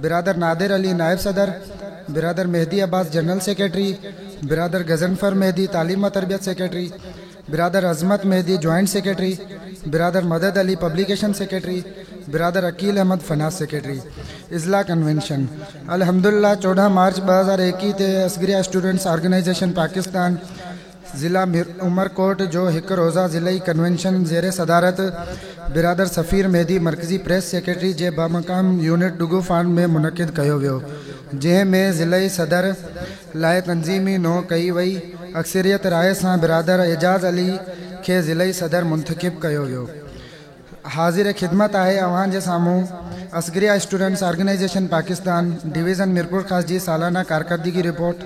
برادر نادر علي نائب صدر برادر مهدي عباس جنرل سيڪريٽري برادر غضنفر مهدي تعليم و تربيت سيڪريٽري برادر عظمت مهدي جوائنٽ سيڪريٽري برادر مدد علي پبليڪيشن سيڪريٽري برادر عقيل احمد فنانس سيڪريٽري اضلاع ڪنوينشن الحمدلله 14 مارچ 2021 تي اصغريه اسٽوڊنٽس آرگنائيزيشن پاڪستان ضلع عمرڪوٽ جو هڪ روزه ضلعي ڪنوينشن زير صدارت برادر سفير مهدي مرڪزي پريس سيڪريٽري جي بمقام يونٽ ڊگو فارم ۾ منعقد ڪيو ويو جنهن ۾ ضلعي صدر لاءِ تنظيمي نو ڪئي وئي اڪثريت راءِ سان برادر اعجاز علي کي ضلعي صدر منتخب ڪيو ويو حاضر خدمت آهي اوهان جي سامهون Asgharia students organisation Pakistan division Mirpurkhas جي سالانه ڪارڪردگي رپورٽ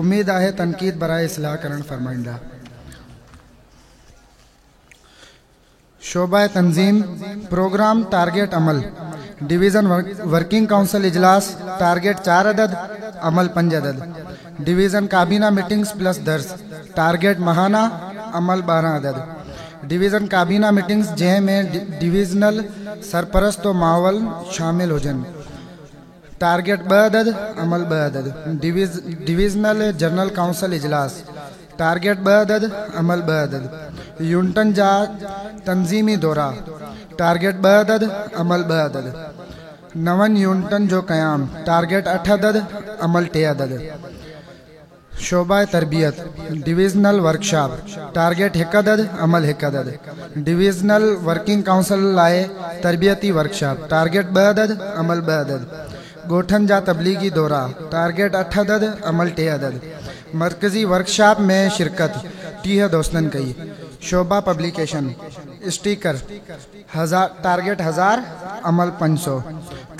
اميد آهي تنقيد براءِ اصلاح ڪرڻ فرمائيندا. شعبه تنظيم، پروگرام ٽارگيٽ عمل، ڊويزن ورڪنگ ڪائونسل اجلاس ٽارگيٽ 4 عدد، عمل 5 عدد، ڊويزن ڪابينا ميٽنگز پلس درس ٽارگيٽ ماهانه، عمل 12 عدد، ڊويزن ڪابينا ميٽنگز جنهن ۾ ڊويزنل سرپرست و معاون شامل هجن ٽارگيٽ 2 عدد، عمل 2 عدد، ڊويزنل جنرل ڪائونسل اجلاس ٽارگيٽ 2 عدد، عمل 2 عدد، يونٽن جا تنظيمي دورا ٽارگيٽ 2 عدد، عمل 2 عدد، نون يونٽن جو قيام ٽارگيٽ 8 عدد، عمل 3 عدد، شعبه تربيت، ڊويزنل ورڪشاپ ٽارگيٽ 1 عدد، عمل 1 عدد، ڊويزنل ورڪنگ ڪائونسل لاءِ تربيتي ورڪشاپ ٽارگيٽ 2 عدد، عمل 2 عدد، ڳوٺن جا تبليغي دورا ٽارگيٽ 8 عدد، عمل 3 عدد، مرڪزي ورڪشاپ ۾ شرڪت 30 دوستن ڪئي، شعبه پبليڪيشن، اسٽيڪر هزار ٽارگيٽ 1000، عمل 500،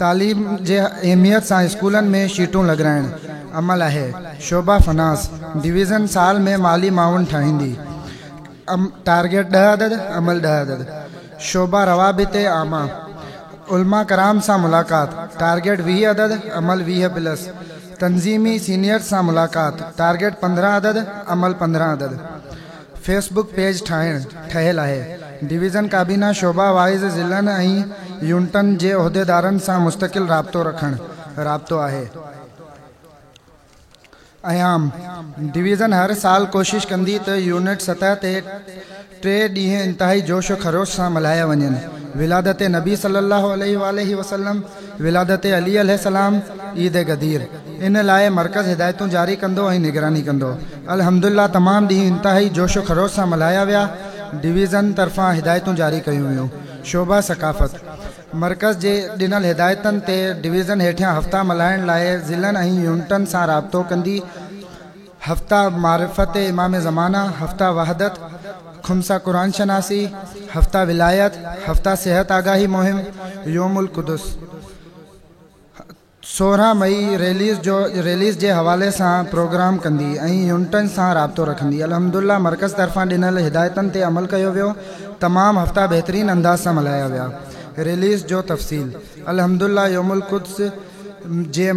تعليم جي اهميت سان اسڪولن ۾ شيٽون لڳرائڻ عمل آهي، شعبه فنانس ڊويزن سال ۾ مالي معاون ٺاهيندي، ٽارگيٽ 10 عدد، عمل 10 عدد، شعبه روابط عامه، علماء ڪرام سان ملاقات ٽارگيٽ 20 عدد، عمل 20 پلس، تنظيمي سينيئرز سان ملاقات ٽارگيٽ 15 عدد، عمل 15 عدد، فيس بڪ پيج ٺاهڻ ٺهيل آهي، ڊويزن ڪابينا شعبه وائيز ضلعن ۽ يونٽن جي عهديدارن سان مستقل رابطو رکڻ رابطو آهي. ايام ڊويزن هر سال ڪوشش ڪندي ته يونٽ سطح تي 3 ڏينهن انتهائي جوش و خروش سان ملهايا وڃن ولادت نبي صلي الله عليه واٰله وسلم، ولادت علي عليه السلام، عيد غدير. ان لاءِ مرڪز هدايتون جاري ڪندو ۽ نگراني ڪندو. الحمدلله تمام ڏينهن انتهائي جوش و خروش سان ملهايا ويا. ڊويزن طرفان هدايتون جاري ڪيون ويون. شعبه ثقافت، مرڪز جي ڏنل هدايتن تي ڊويزن هيٺيان هفتا ملهائڻ لاءِ ضلعن ۽ يونٽن سان رابطو ڪندي، هفته معرفت امام زمانه، هفته وحدت، خمسه قرآن شناسي، هفته ولايت، هفته صحت آگاهي مهم، يوم القدس. 16 مئي ريليز جو ريليز جي حوالي سان پروگرام ڪندي ۽ يونٽن سان رابطو رکندي. الحمدلله مرڪز طرفان ڏنل هدايتن تي عمل ڪيو ويو. تمام هفتا بهترين انداز سان ملهايا ويا. ريليز جو تفصيل الحمدلله يوم القدس جي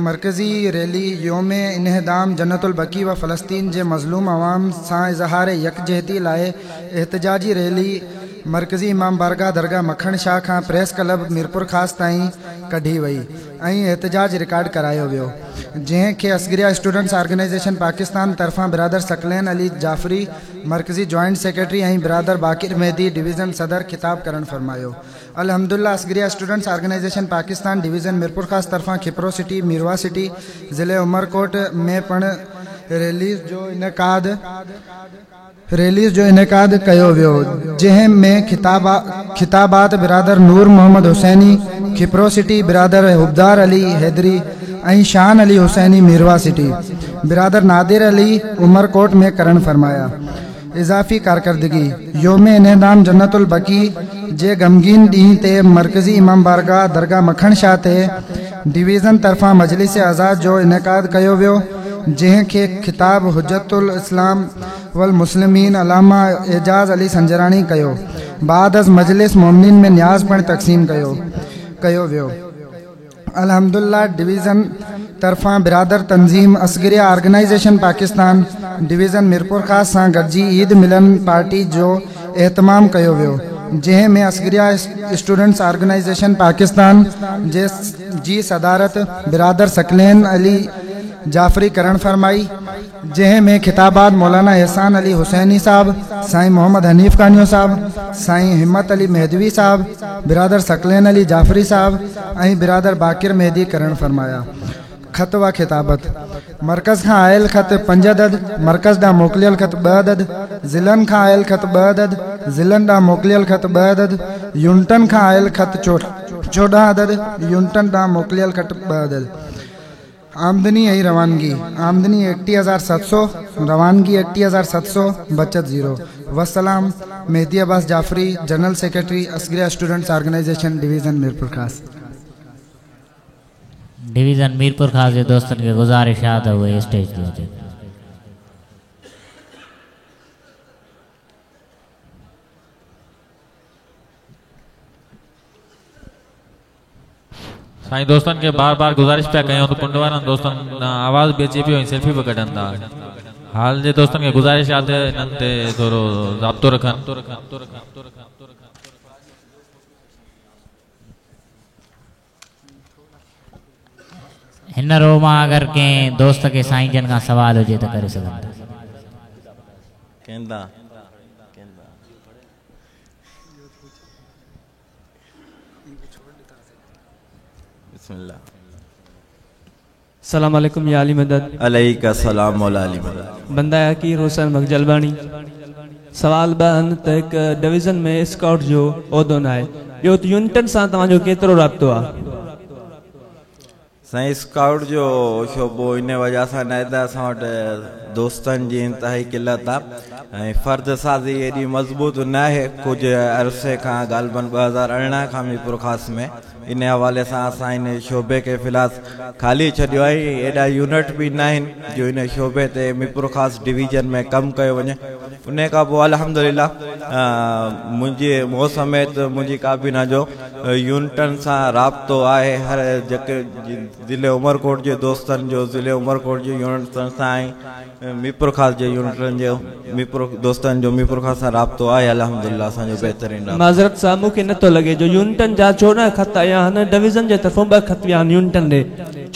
مرڪزي ريلي يوم انهدام جنت البقيع و فلسطين جي مظلوم عوام سان اظهار يڪجهتي لاءِ احتجاجي ريلي مرڪزي امام بارگاهه درگاهه مکڻ شاهه کان پريس ڪلب ميرپورخاص تائين ڪڍي وئي ۽ احتجاج رڪارڊ ڪرايو ويو جنهن کي اصغريه اسٽوڊنٽس آرگنائيزيشن پاڪستان طرفان برادر ثقلين علي جعفري مرڪزي جوائنٽ سيڪريٽري ۽ برادر باقر مهدي ڊويزن صدر خطاب ڪرڻ فرمايو الحمدلله Asgharia students organisation Pakistan division Mirpurkhas طرفان کپرو سٽي ميرواهه سٽي ضلعي عمرڪوٽ ۾ پڻ ريليز جو انعقاد ريليز جو انعقاد ڪيو ويو جنهن ۾ خطابات برادر نور محمد حسيني کپرو سٽي، برادر حبدار علي حيدري ۽ شان علي حسيني ميرواهه سٽي، برادر نادر علي عمرڪوٽ ۾ ڪرڻ فرمايا. اضافي ڪارڪردگي، يوم انهدام جنت البقيع جي غمگين ڏينهن تي مرڪزي امام بارگاهه درگاهه مکڻ شاهه تي ڊويزن طرفان مجلس عزا جو انعقاد ڪيو ويو، جنهن کي خطاب حجت الاسلام والمسلمين علامه اعجاز علي سنجراڻي ڪيو. بعد از مجلس مومنين ۾ نياز پڻ تقسيم ڪيو ڪيو ويو. الحمدالله ڊويزن طرفان برادر تنظيم اصغريه آرگنائيزيشن پاڪستان ڊويزن ميرپورخاص سان گڏجي عيد ملن پارٽي جو اهتمام ڪيو ويو جنهن ۾ اصغريه اسٽوڊنٽس آرگنائيزيشن پاڪستان جي جي صدارت برادر ثقلين علي جعفري ڪرڻ فرمائي جنهن ۾ خطابات مولانا احسان علي حسيني صاحب، سائين محمد حنيف ڪانيو صاحب، سائين همت علي مهدوي صاحب، برادر ثقلين علي جعفري صاحب ۽ برادر باقر مهدي ڪرڻ فرمايا. خط و خطابت، مرڪز کان آيل خط پنج عدد، مرڪز ڏانهن موڪليل خط ٻه عدد، ضلعن کان آيل خط ٻه عدد، ضلعن ڏانهن موڪليل خط ٻه عدد، يونٽن کان آيل خط 14 عدد، يونٽن ڏانهن موڪليل خط ٻه عدد. آمدني ۽ روانگي، آمدني 31700، روانگي 31700، بچت زيرو. والسلام، Mehdi Abbas Jafri, general secretary, Asgharia students organisation, division Mirpurkhas. Division Mirpurkhas جي دوستن کي گذارش آ ته اهي اسٽيج تي اچن. سائين دوستن کي بار بار گذارش پيا ڪيون ته ڪنڊ وارن دوستن ڏانهن آواز به اچي پيو ۽ سيلفي به ڪڍن ٿا هال جي دوستن کي گذارش آ ته انهن تي ٿورو ضابطو رکن. هن رو مان اگر ڪنهن دوست کي سائين جن کان سوال هجي ته ڪري سگهن ٿا. بسم الله. السلام عليڪم يا علي مدد. عليڪ السلام مولا علي مدد. بنده حقير حسين بخش جلباڻي سوال ٻه آهن ته هڪ ڊويزن ۾ اسڪائوٽ جو عهدو ناهي ٻيو ته يونٽن سان توهان جو ڪيترو رابطو آهي. سائين اسڪائوٽ جو شعبو ان وجه سان ناهي ته اسان وٽ دوستن جي انتهائي قلت آ ۽ فرد سازي ايڏي مضبوط ناهي ڪجهه عرصي کان غالبن 2018 کان ميرپورخاص ۾ ان حوالي سان اسان ان شعبي کي في الحال خالي ڇڏيو آهي ۽ ايڏا يونٽ به ناهن جو ان شعبي تي ميرپورخاص ڊويزن ۾ ڪم ڪيو وڃي ان کان پوء الحمدلله منهنجي مون سميت منهنجي ڪابينا جو يونٽن سان رابطو آهي هر جيڪي ضلعي عمرڪوٽ جي دوستن جو ضلعي عمرڪوٽ جي يونٽن سان ۽ ميرپورخاص جي يونٽن جو ميرپور دوستن جو ميرپورخاص سان رابطو آهي الحمدلله اسان جو بهترين رابطو. معذرت سان مون کي نٿو لڳي جو يونٽن جا 14 خط آيا آهن ڊويزن جي طرفون ٻه خط ويا آهن يونٽن ڏي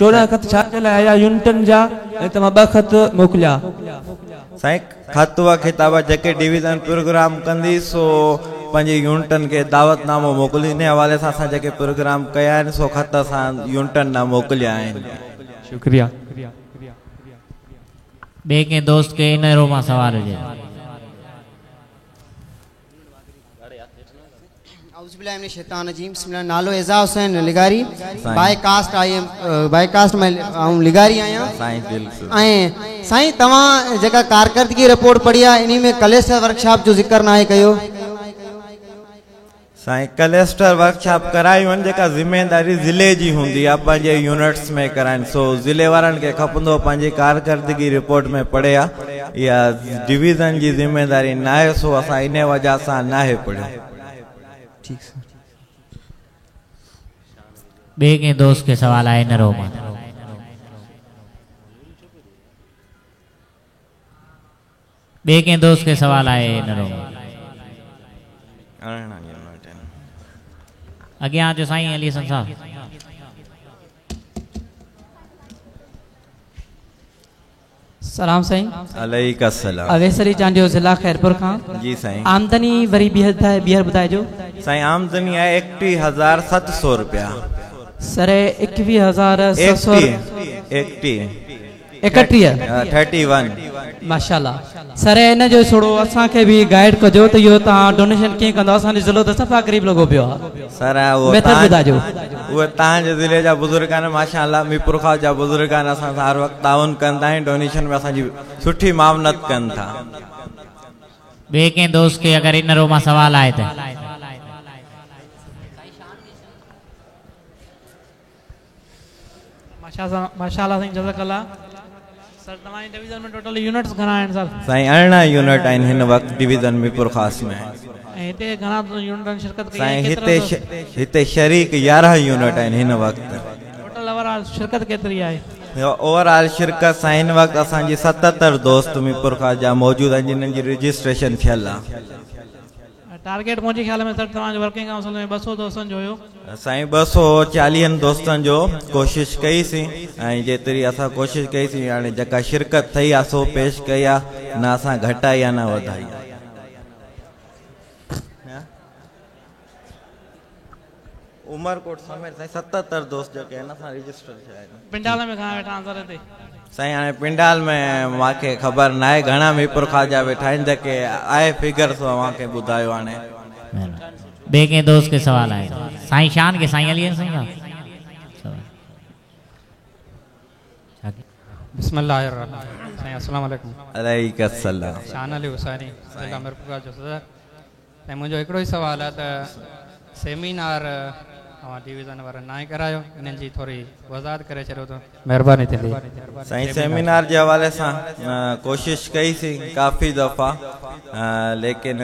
14 خط ڇا جي لاء آيا يونٽن جا ۽ توهان ٻه خط موڪليا. سائين خط و خطابه جيڪي ڊويزن پروگرام ڪندي سو پنهنجي يونٽن کي دعوت نامو موڪليندي انهي حوالي سان اسان جيڪي پروگرام ڪيا آهن سو خط اسان يونٽن ڏانهن موڪليا آهن. شڪريه. ٻئي ڪنهن دوست کي ان رو مان سوال هجي. اعوذ بالله من الشيطان الرجيم بسم الله نالو اعزاز حسين لغاري by caste I am by caste ۾ آئون لغاري آهيان سائين بلڪل ۽ سائين توهان جيڪا ڪارڪردگي رپورٽ پڙهي آهي انهي ۾ ڪليسٽر ورڪشاپ جو ذڪر ناهي ڪيو. سائين ڪلسٽر ورڪشاپ ڪرايون آهن جيڪا ذميداري ضلعي جي هوندي آهي پنهنجي يونٽس ۾ ڪرائين سو ضلعي وارن کي کپندو پنهنجي ڪارڪردگي رپورٽ ۾ پڙهي ها اها ڊويزن جي ذميداري ناهي سو اسان انهي وجه سان ناهي پڙهيو. ٺيڪ سر. ٻئي ڪنهن دوست کي سوال آهي ان رو مان. ٻئي ڪنهن دوست کي سوال آهي ان رو مان. اڳيان اچو سائين علي حسن صاحب. سلام سائين. عليڪ السلام. اويس علي چانڊيو ضلع خيرپور کان. جي سائين. آمدني وري ٻيهر ٻڌائجو. سائين آمدني آهي 31700 روپيا. سر 21700. ايڪٽيهه. 31. Thirty one. ماشاءالله سر ان جو ٿورو اسان کي به گائيڊ ڪجو ته اهو توهان ڊونيشن ڪيئن ڪندؤ اسان جو ضلعو ته صفا غريب لڳو پيو آ. سر اهو ميٿڊ ٻڌائجو. اهي توهان جي ضلعي جا بزرگ آهن ماشاء الله ميرپورخاص جا بزرگ آهن اسان سان هر وقت تعاون ڪن ٿا ۽ ڊونيشن ۾ اسان جي سٺي معاونت ڪن ٿا. ٻئي ڪنهن دوست کي اگر ان رو مان سوال آهي ته. माशाअल्लाह साईं जज़ाकल्लाह। सर तव्हांजी डिवीज़न में टोटल यूनिट्स घणा आहिनि सर? साईं 18 यूनिट आहिनि हिन वक़्तु डिवीज़न मीरपुर ख़ास में। ऐं हिते घणा यूनिटनि शिरकत कई? साईं हिते शरीक 11 यूनिट आहिनि हिन वक़्तु। टोटल ओवरऑल शिरकत केतिरी आहे? ओवरऑल शिरकत साईं हिन वक़्तु असांजी 77 दोस्त मीरपुर ख़ास जा मौजूदु आहिनि जिन्हनि जी रजिस्ट्रेशन थियल आहे। टारगेट मुंहिंजे ख़्याल में सर तव्हांजो वर्किंग काउंसिल में 200 दोस्तनि जो हुयो। साईं 240 दोस्तनि जो कोशिश कईसीं ऐं जेतिरी असां कोशिश कईसीं हाणे जेका शिरकत थई आहे सो पेश कई आहे, न असां घटाई आहे न वधाई आहे। उमरकोट समेत साईं 77 दोस्त जेके आहिनि असां रजिस्टर थिया आहिनि। पिंडाल में घणा वेठा आहिनि सर हिते? साईं हाणे पिंडाल में मूंखे ख़बर न आहे घणा मीरपुर ख़ास जा वेठा आहिनि, जेके आहे फिगर सो तव्हांखे ॿुधायो। हाणे ॿिए कंहिं दोस्त खे सवाल आहे? साईं शान खे साईं अली साईं। बिस्मिल्लाहिर्रहमानिर्रहीम। साईं अस्सलाम वालेकुम। अलैकुम अस्सलाम। शान अली हुसैनी ज़िला मीरपुर जो सदर। साईं मुंहिंजो हिकिड़ो ई सवाल आहे त सेमिनार तव्हां डिवीज़न वारा ना करायो, इन्हनि जी थोरी वज़ाहत करे छॾियो त महिरबानी थींदी। साईं सेमिनार जे हवाले सां कोशिश कईसीं काफ़ी दफ़ा, लेकिन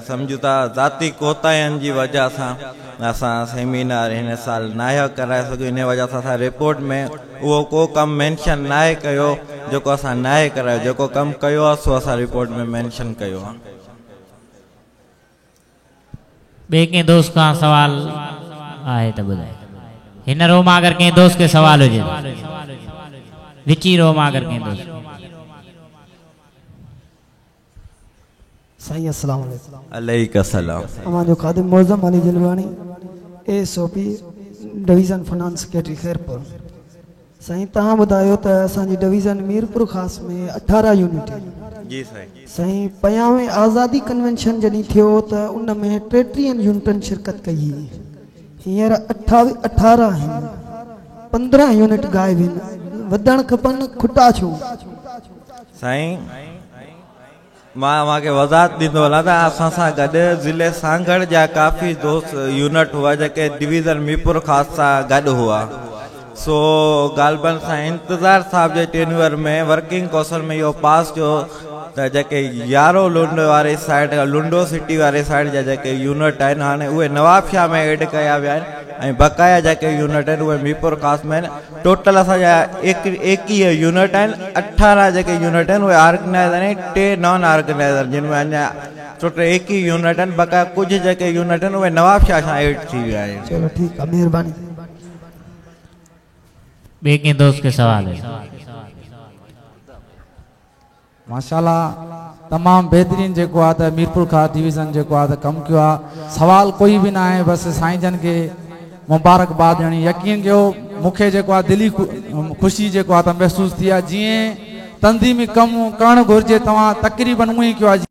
सम्झूं था ज़ाती कोताहियुनि जी वजह सां असां सेमिनार हिन साल न कराए सघियो। इन वजह सां असां रिपोर्ट में उहो को कमु मेंशन न कयो जेको असां न करायो, जेको कमु कयो आहे सो असां रिपोर्ट में मेंशन कयो आहे। ॿिए कंहिं दोस्त खां सवाल आहे त ॿुधाए। हिन रो मां अगरि कंहिं दोस्त खे सवाल हुजे, विची रो मां अगरि कंहिं दोस्त। साईं अस्सलाम वालेकुम। अलैकुम अस्सलाम। अव्हांजो ख़ादिम Moazzam Ali Jalbani, SOP division finance secretary Khairpur. साईं तव्हां ॿुधायो त असांजी डिवीज़न मीरपुर ख़ास में 18 यूनिट आहिनि। जी साईं। साईं 50वें आज़ादी कन्वेंशन जॾहिं थियो त उन में 33 यूनिटनि शिरकत कई हुई, हींअर 18 आहिनि, 15 यूनिट ग़ाइब आहिनि। वधणु खपनि, खुटा छो? साईं मां तव्हांखे वज़ाहत ॾींदो हलां त असां सां गॾु ज़िले सांगड़ जा काफ़ी दोस्त यूनिट हुआ जेके डिवीज़न मीरपुर ख़ास सां गॾु हुआ। सो ग़ालिबन सां इंतज़ार साहब जे टेन्यूअर में वर्किंग काउंसिल में इहो पास थियो त जेके यारो लुंड वारे साइड लुंडो सिटी वारे साइड जा जेके यूनिट आहिनि हाणे उहे नवाबशाह में एड कया विया आहिनि ऐं बकाया जेके यूनिट आहिनि उहे मीरपुर ख़ास में आहिनि। टोटल असांजा 21 यूनिट आहिनि, 18 जेके यूनिट आहिनि उहे ऑर्गेनाइज़र आहिनि, 3 नॉन ऑर्गेनाइज़र जिन में अञा टोटल 21 यूनिट आहिनि। बकाया कुझु जेके यूनिट आहिनि उहे नवाबशाह सां एड थी विया आहिनि। चलो ठीकु आहे, महिरबानी। ॿिए कंहिं दोस्त खे सवाल आहे? माशाल्लाह तमामु बहितरीन जेको आहे त मीरपुर ख़ास डिवीज़न जेको आहे त कमु कयो आहे। सवाल कोई बि न आहे, बसि साईं जन खे मुबारकबाद ॾियणी। यकीन कयो मूंखे जेको आहे दिली ख़ुशी जेको आहे त महसूसु थी आहे। जीअं तंज़ीमी कमु करणु घुरिजे तव्हां तक़रीबन उअं ई कयो आहे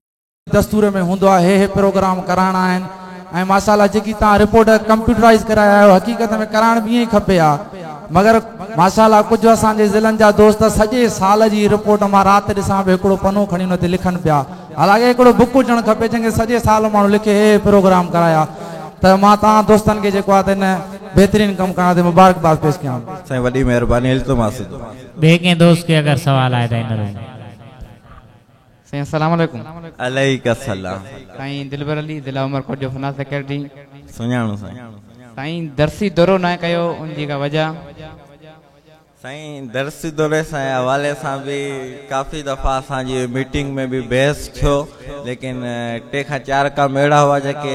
दस्तूर में हूंदो आहे, हे हे प्रोग्राम कराइणा आहिनि। ऐं माशाल्लाह जेकी तव्हां रिपोर्ट कंप्यूटराइज़ कराया आहियो, हक़ीक़त में कराइणु बि ईअं ई खपे हा, मगर माशाल्लाह कुझु असांजे ज़िलनि जा दोस्त सॼे साल जी रिपोर्ट मां राति ॾिसां पियो हिकिड़ो पनो खणी हुन ते लिखनि पिया। हालांकि हिकिड़ो बुक हुजणु खपे जंहिंखे सॼे साल माण्हू लिखे हे प्रोग्राम कराया। त मां तव्हां दोस्तनि खे जेको आहे त हिन बहितरीन कमु करण ते मुबारकबाद पेश कयां। साईं वॾी महिरबानी। इल्तिमास। ॿिए कंहिं दोस्त खे अगरि सवाल आहे त हिन में। साईं अस्सलाम वालेकुम। अलैकुम अस्सलाम। साईं दिलबर अली ज़िला उमरकोट जो फाइनेंस सेक्रेटरी। सुञाणो साईं। साईं दरसी दौरो न कयो उन जी का वजह? साईं दरसी दौरे सां हवाले सां बि काफ़ी दफ़ा असांजी मीटिंग में बि बहस थियो, लेकिन 3 खां 4 कम अहिड़ा हुआ जेके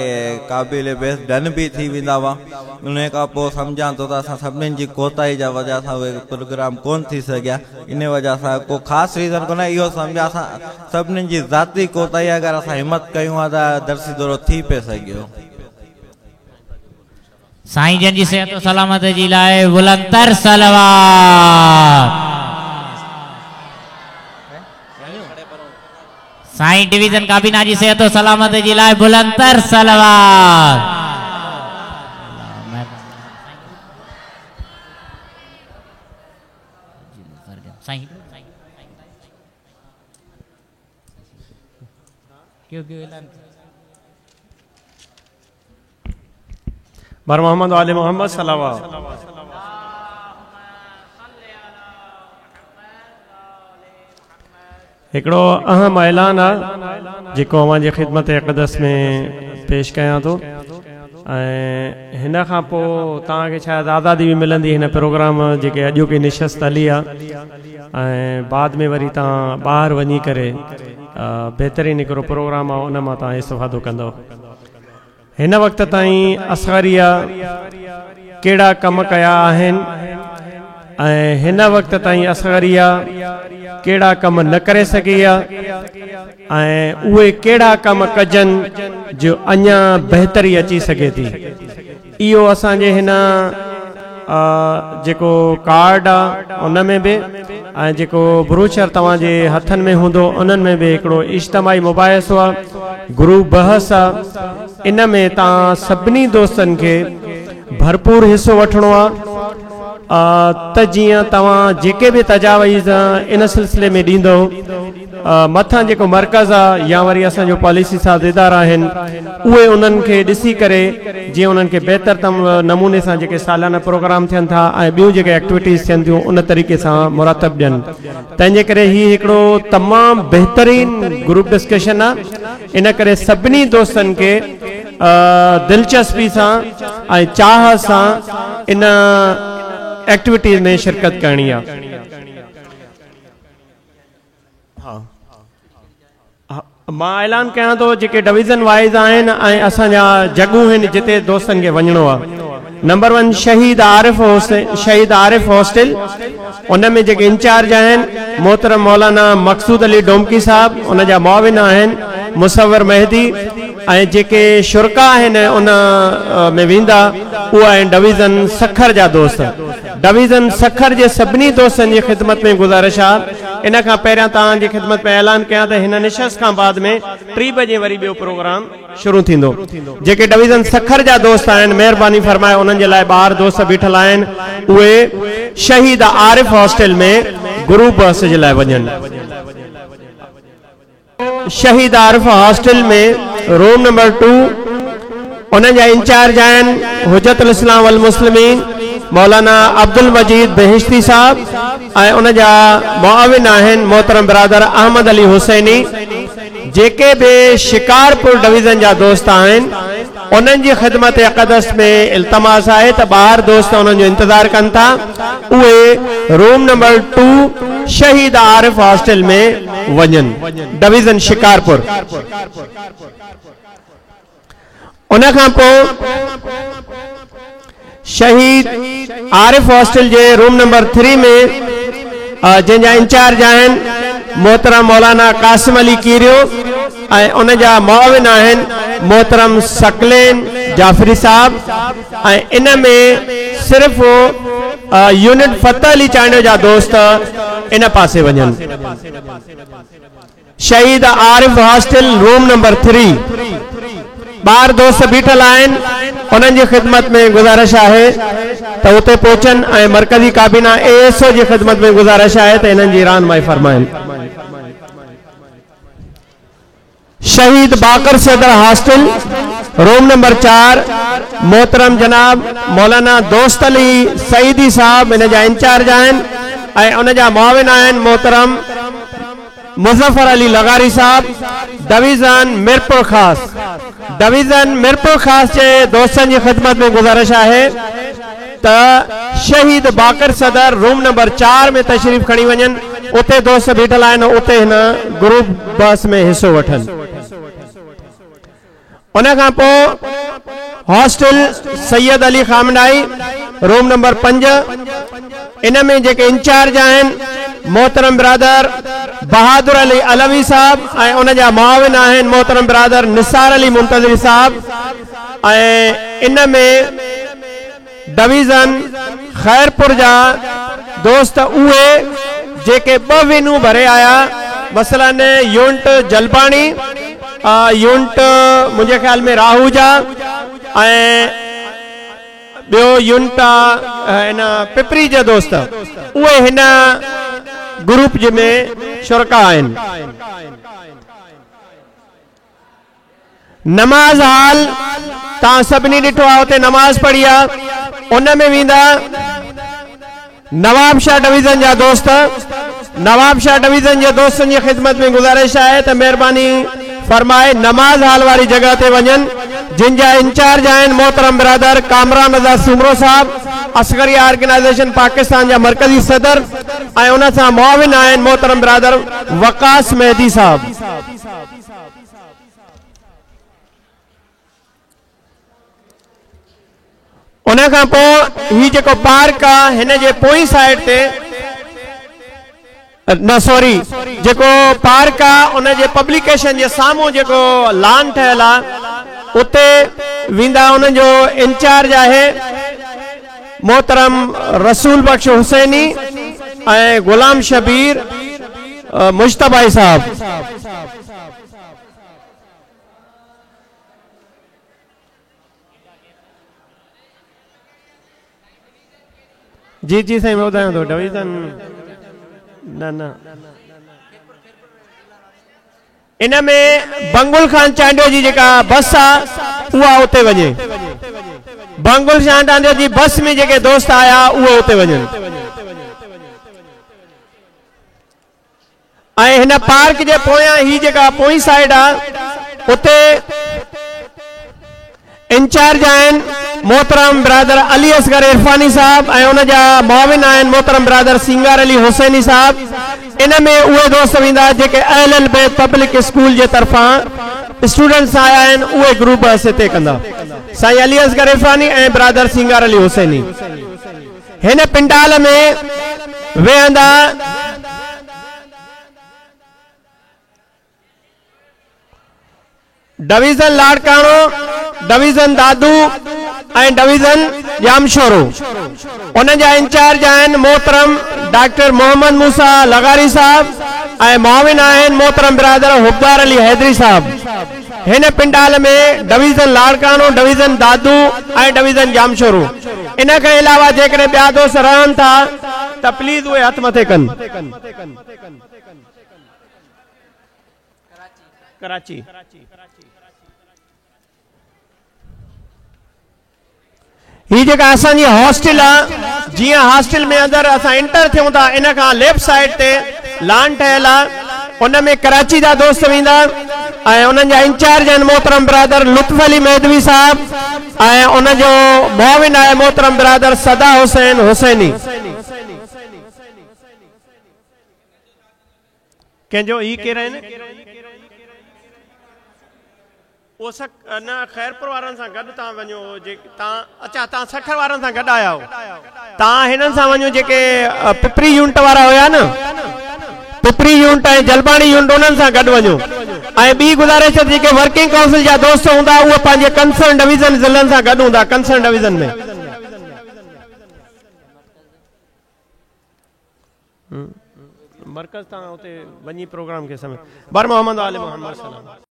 क़ाबिल बहस डन बि थी वेंदा हुआ। उन खां पोइ सम्झां थो त असां सभिनीनि जी कोताही जा वजह सां उहे प्रोग्राम कोन थी सघिया। इन वजह सां को ख़ासि रीज़न कोन्हे, इहो सम्झा असां सभिनीनि जी ज़ाती कोताही। अगरि असां हिमत कयूं हा त दरसी दौरो थी पिए सघियो। साईं जन जी सेहत सलामत जी लाइ बुलंदर सलवात। साईं डिवीज़न काबीना जी सेहत सलामत जी लाइ बुलंदर सलवात। साईं क्यों क्यों बर मोहम्मद आले मोहम्मद सलावा। هڪڙو اهم اعلان آ جيڪو اوهان جي خدمت اقدس ۾ پيش ڪيان ٿو ۽ هن کان پوء توهان کي شايد آزادي به ملندي هن پروگرام جيڪي اڄوڪي نشست هلي آ ۽ بعد ۾ وري توهان ٻاهر وڃي ڪري بهترين هڪڙو پروگرام آ ان مان توهان استفادو ڪندؤ. هن وقت تائين اصغريه ڪهڙا ڪم ڪيا آهن ۽ هن وقت تائين اصغريه ڪهڙا ڪم نه ڪري سگهي آ ۽ اهي ڪهڙا ڪم ڪجن جو اڃا بهتري اچي سگهي ٿي. اهو اسان جي هن جيڪو ڪارڊ آ ان ۾ به ۽ جيڪو بروشر توهان جي هٿن ۾ هوندو انهن ۾ به هڪڙو اجتماعي مباحثو آ، گروپ بحث آ، ان ۾ توهان سڀني دوستن کي ڀرپور حصو وٺڻو آ ته جيئن توهان جيڪي به تجاويز ان سلسلي ۾ ڏيندؤ مٿان جيڪو مرڪز آ يا وري اسان جو پاليسي ساز ادارا آهن اهي انهن کي ڏسي ڪري جيئن انهن کي بهتر نموني سان جيڪي سالانه پروگرام ٿين ٿا ۽ ٻيون جيڪي ايڪٽيوٽيز ٿين ٿيون ان طريقي سان مرتب ڏين تنهن جي ڪري هي هڪڙو تمام بهترين گروپ ڊسڪشن آ ان ڪري سڀني دوستن کي دلچسپي سان ۽ چاهه سان ان ايڪٽيوٽيز ۾ شرڪت ڪرڻي آ. ها مان اعلان ڪيان ٿو جيڪي ڊويزن وائيز آهن ۽ اسان جا جڳهون آهن جتي دوستن کي وڃڻو آهي نمبر ون شهيد عارف حسين شهيد عارف هاسٽل ان ۾ جيڪي انچارج آهن محترم مولانا مقصود علي ڊومڪي صاحب ان جا معاون آهن مصور مهدي ۽ جيڪي شرڪا آهن ان ۾ ويندا اهي آهن ڊويزن سکر جا دوست. ڊويزن سکر جي سڀني دوستن جي خدمت ۾ گذارش آ ان کان پهريان توهان جي خدمت ۾ اعلان ڪيان ته هن نشست کان بعد ۾ ٽي بجي وري ٻيو پروگرام شروع ٿيندو جيڪي ڊويزن سکر جا دوست آهن مهرباني فرمائي انهن جي لاء ٻاهر دوست بيٺل آهن اهي شهيد عارف هاسٽل ۾ گروپ بحث جي لاء وڃن. شهيد عارف هاسٽل ۾ روم نمبر ٽو انهن جا انچارج آهن حجت الاسلام والمسلمين مولانا عبدالمجيد بهشتي صاحب ۽ ان جا معاون آهن محترم برادر احمد علي حسيني جيڪي به شڪارپور ڊويزن جا دوست آهن انهن جي خدمت اقدس ۾ التماس آهي ته ٻاهر دوست انهن جو انتظار ڪن ٿا اهي روم نمبر ٽو شهيد عارف هاسٽل ۾ وڃن ڊويزن شڪارپور ان کان پوء شهيد عارف هاسٽل جي روم نمبر ٿري ۾ جنهن جا انچارج آهن محترم مولانا قاسم علي ڪيريو ۽ ان جا معاون آهن محترم ثقلين جعفري صاحب ۽ ان ۾ صرف يونٽ فتح علي چانڊيو جا دوست ان پاسي وڃن. شهيد عارف هاسٽل روم نمبر ٿري ٻاهر دوست بيٺل آهن انهن جي خدمت ۾ گذارش آهي ته اتي پهچن ۽ مرڪزي ڪابينا اي ايس او جي خدمت ۾ گذارش آهي ته انهن جي رهنمائي فرمائن. شهيد باقر صدر هاسٽل روم نمبر 4 محترم جناب مولانا دوست علي سعيدي صاحب ان جا انچارج آهن ۽ ان جا معاون آهن محترم مظفر علي لغاري صاحب ڊويزن ميرپورخاص ڊويزن ميرپورخاص جي دوستن جي خدمت ۾ گذارش آهي ته شهيد باقر صدر روم نمبر 4 ۾ تشريف کڻي وڃن اتي دوست بيٺل آهن اتي هن گروپ بحث ۾ حصو وٺن. ان کان پوء hostel Syed Ali خامنائي room number 5 ان ۾ جيڪي انچارج آهن محترم برادر بهادر علي علوي صاحب ۽ ان جا معاون آهن محترم برادر نثار علي منتظري صاحب ۽ ان ۾ ڊويزن خيرپور جا دوست اهي جيڪي ٻه وينون ڀري آيا مثلا يونٽ جلباڻي يونٽ منهنجي خيال ۾ راهوجا ۽ ٻيو يونٽ آ ان پپري جا دوست اهي هن گروپ جي ۾ شرڪا آهن. نماز هال توهان سڀني ڏٺو آهي اتي نماز پڙهي آ ان ۾ ويندا نواب شاهه ڊويزن جا دوست. नवाबशाह डिवीज़न जे दोस्तनि जी ख़िदमत में गुज़ारिश आहे त महिरबानी फरमाए नमाज़ हाल वारी जॻह ते वञनि, जिन जा इंचार्ज आहिनि मोहतरम बिरादर कामरान रज़ा सूमरो साहब, असगरिया ऑर्गेनाइजेशन पाकिस्तान जा मरकज़ी सदर, ऐं उन सां मुआविन आहिनि मोहतरम बिरादर वकास मेहदी साहब। उन खां पोइ हीउ जेको पार्क आहे हिन जे पोईं साइड ते न सॉरी जेको पार्क आहे उन जे पब्लिकेशन जे साम्हूं जेको लान ठहियल आहे उते वेंदा, उन जो इंचार्ज आहे मोहतरम रसूल बख्श हुसैनी ऐं गुलाम शबीर मुश्तबाई साहब। जी जी साईं मां ॿुधायां थो डिवीज़न न न इन में बंगुल खान चांडियो जी जेका बस आहे उहा उते वञे, बंगुल खान चांडियो जी बस में जेके दोस्त आया उहे उते वञनि। ऐं हिन पार्क जे पोयां ही जेका पोईं साइड आहे उते इंचार्ज आहिनि मोहतरम बिरादर अली असगर इरफानी साहब ऐं उन जा मुआविन आहिनि मोहतरम बिरादर सिंगार अली हुसैनी साहब। इन में उहे दोस्त वेंदा जेके अहल बैत पब्लिक स्कूल जे तरफ़ां स्टूडेंट्स आया आहिनि, उहे ग्रुप हिते कंदा साईं अली असगर इरफानी ऐं बिरादर सिंगार अली हुसैनी। हिन पंडाल में वेहंदा डिवीज़न लाड़काणो, डिवीज़न दादू ऐं डिवीज़न जामशोरो। उन जा इंचार्ज आहिनि मोहतरम डॉक्टर मोहम्मद मूसा लगारी साहब ऐं मुआविन आहिनि मोहतरम बिरादर हुबदार अली हैदरी साहब। हिन पंडाल में डिवीज़न लाड़काणो, डिवीज़न दादू ऐं डिवीज़न जामशोरो। इन खां अलावा जेकॾहिं ॿिया दोस्त रहनि था त प्लीज़ उहे हथु मथे कनि। कराची ही जेका असांजी हॉस्टल आहे, जीअं हॉस्टल में अंदरि असां एंटर थियूं था इन खां लेफ्ट साइड ते लान ठहियल आहे, उन में कराची जा दोस्त वेंदा ऐं उन्हनि जा इंचार्ज आहिनि मोहतरम बिरादर लुत्फ़ अली मेहदवी साहब ऐं उनजो मुआविन आहे मोहतरम बिरादर सदा हुसैन हुसैनी। कंहिंजो ई केरु आहिनि? उहो न ख़ैरपुर वारनि सां गॾु तव्हां वञो, जे तव्हां अच्छा तव्हां सखर वारनि सां गॾु आया आहियो, तव्हां हिननि सां वञो जेके पिपरी यूनिट वारा हुया न, पिपरी यूनिट ऐं जलबाणी यूनिट उन्हनि सां गॾु वञो। ऐं ॿी गुज़ारिश जेके वर्किंग काउंसिल जा दोस्त हूंदा उहे पंहिंजे कंसर्न डिवीज़न ज़िलनि सां गॾु हूंदा, कंसर्न डिवीज़न में। मरकज़ तव्हां उते वञी प्रोग्राम खे समय बर मोहम्मद आले मोहम्मद सलाम।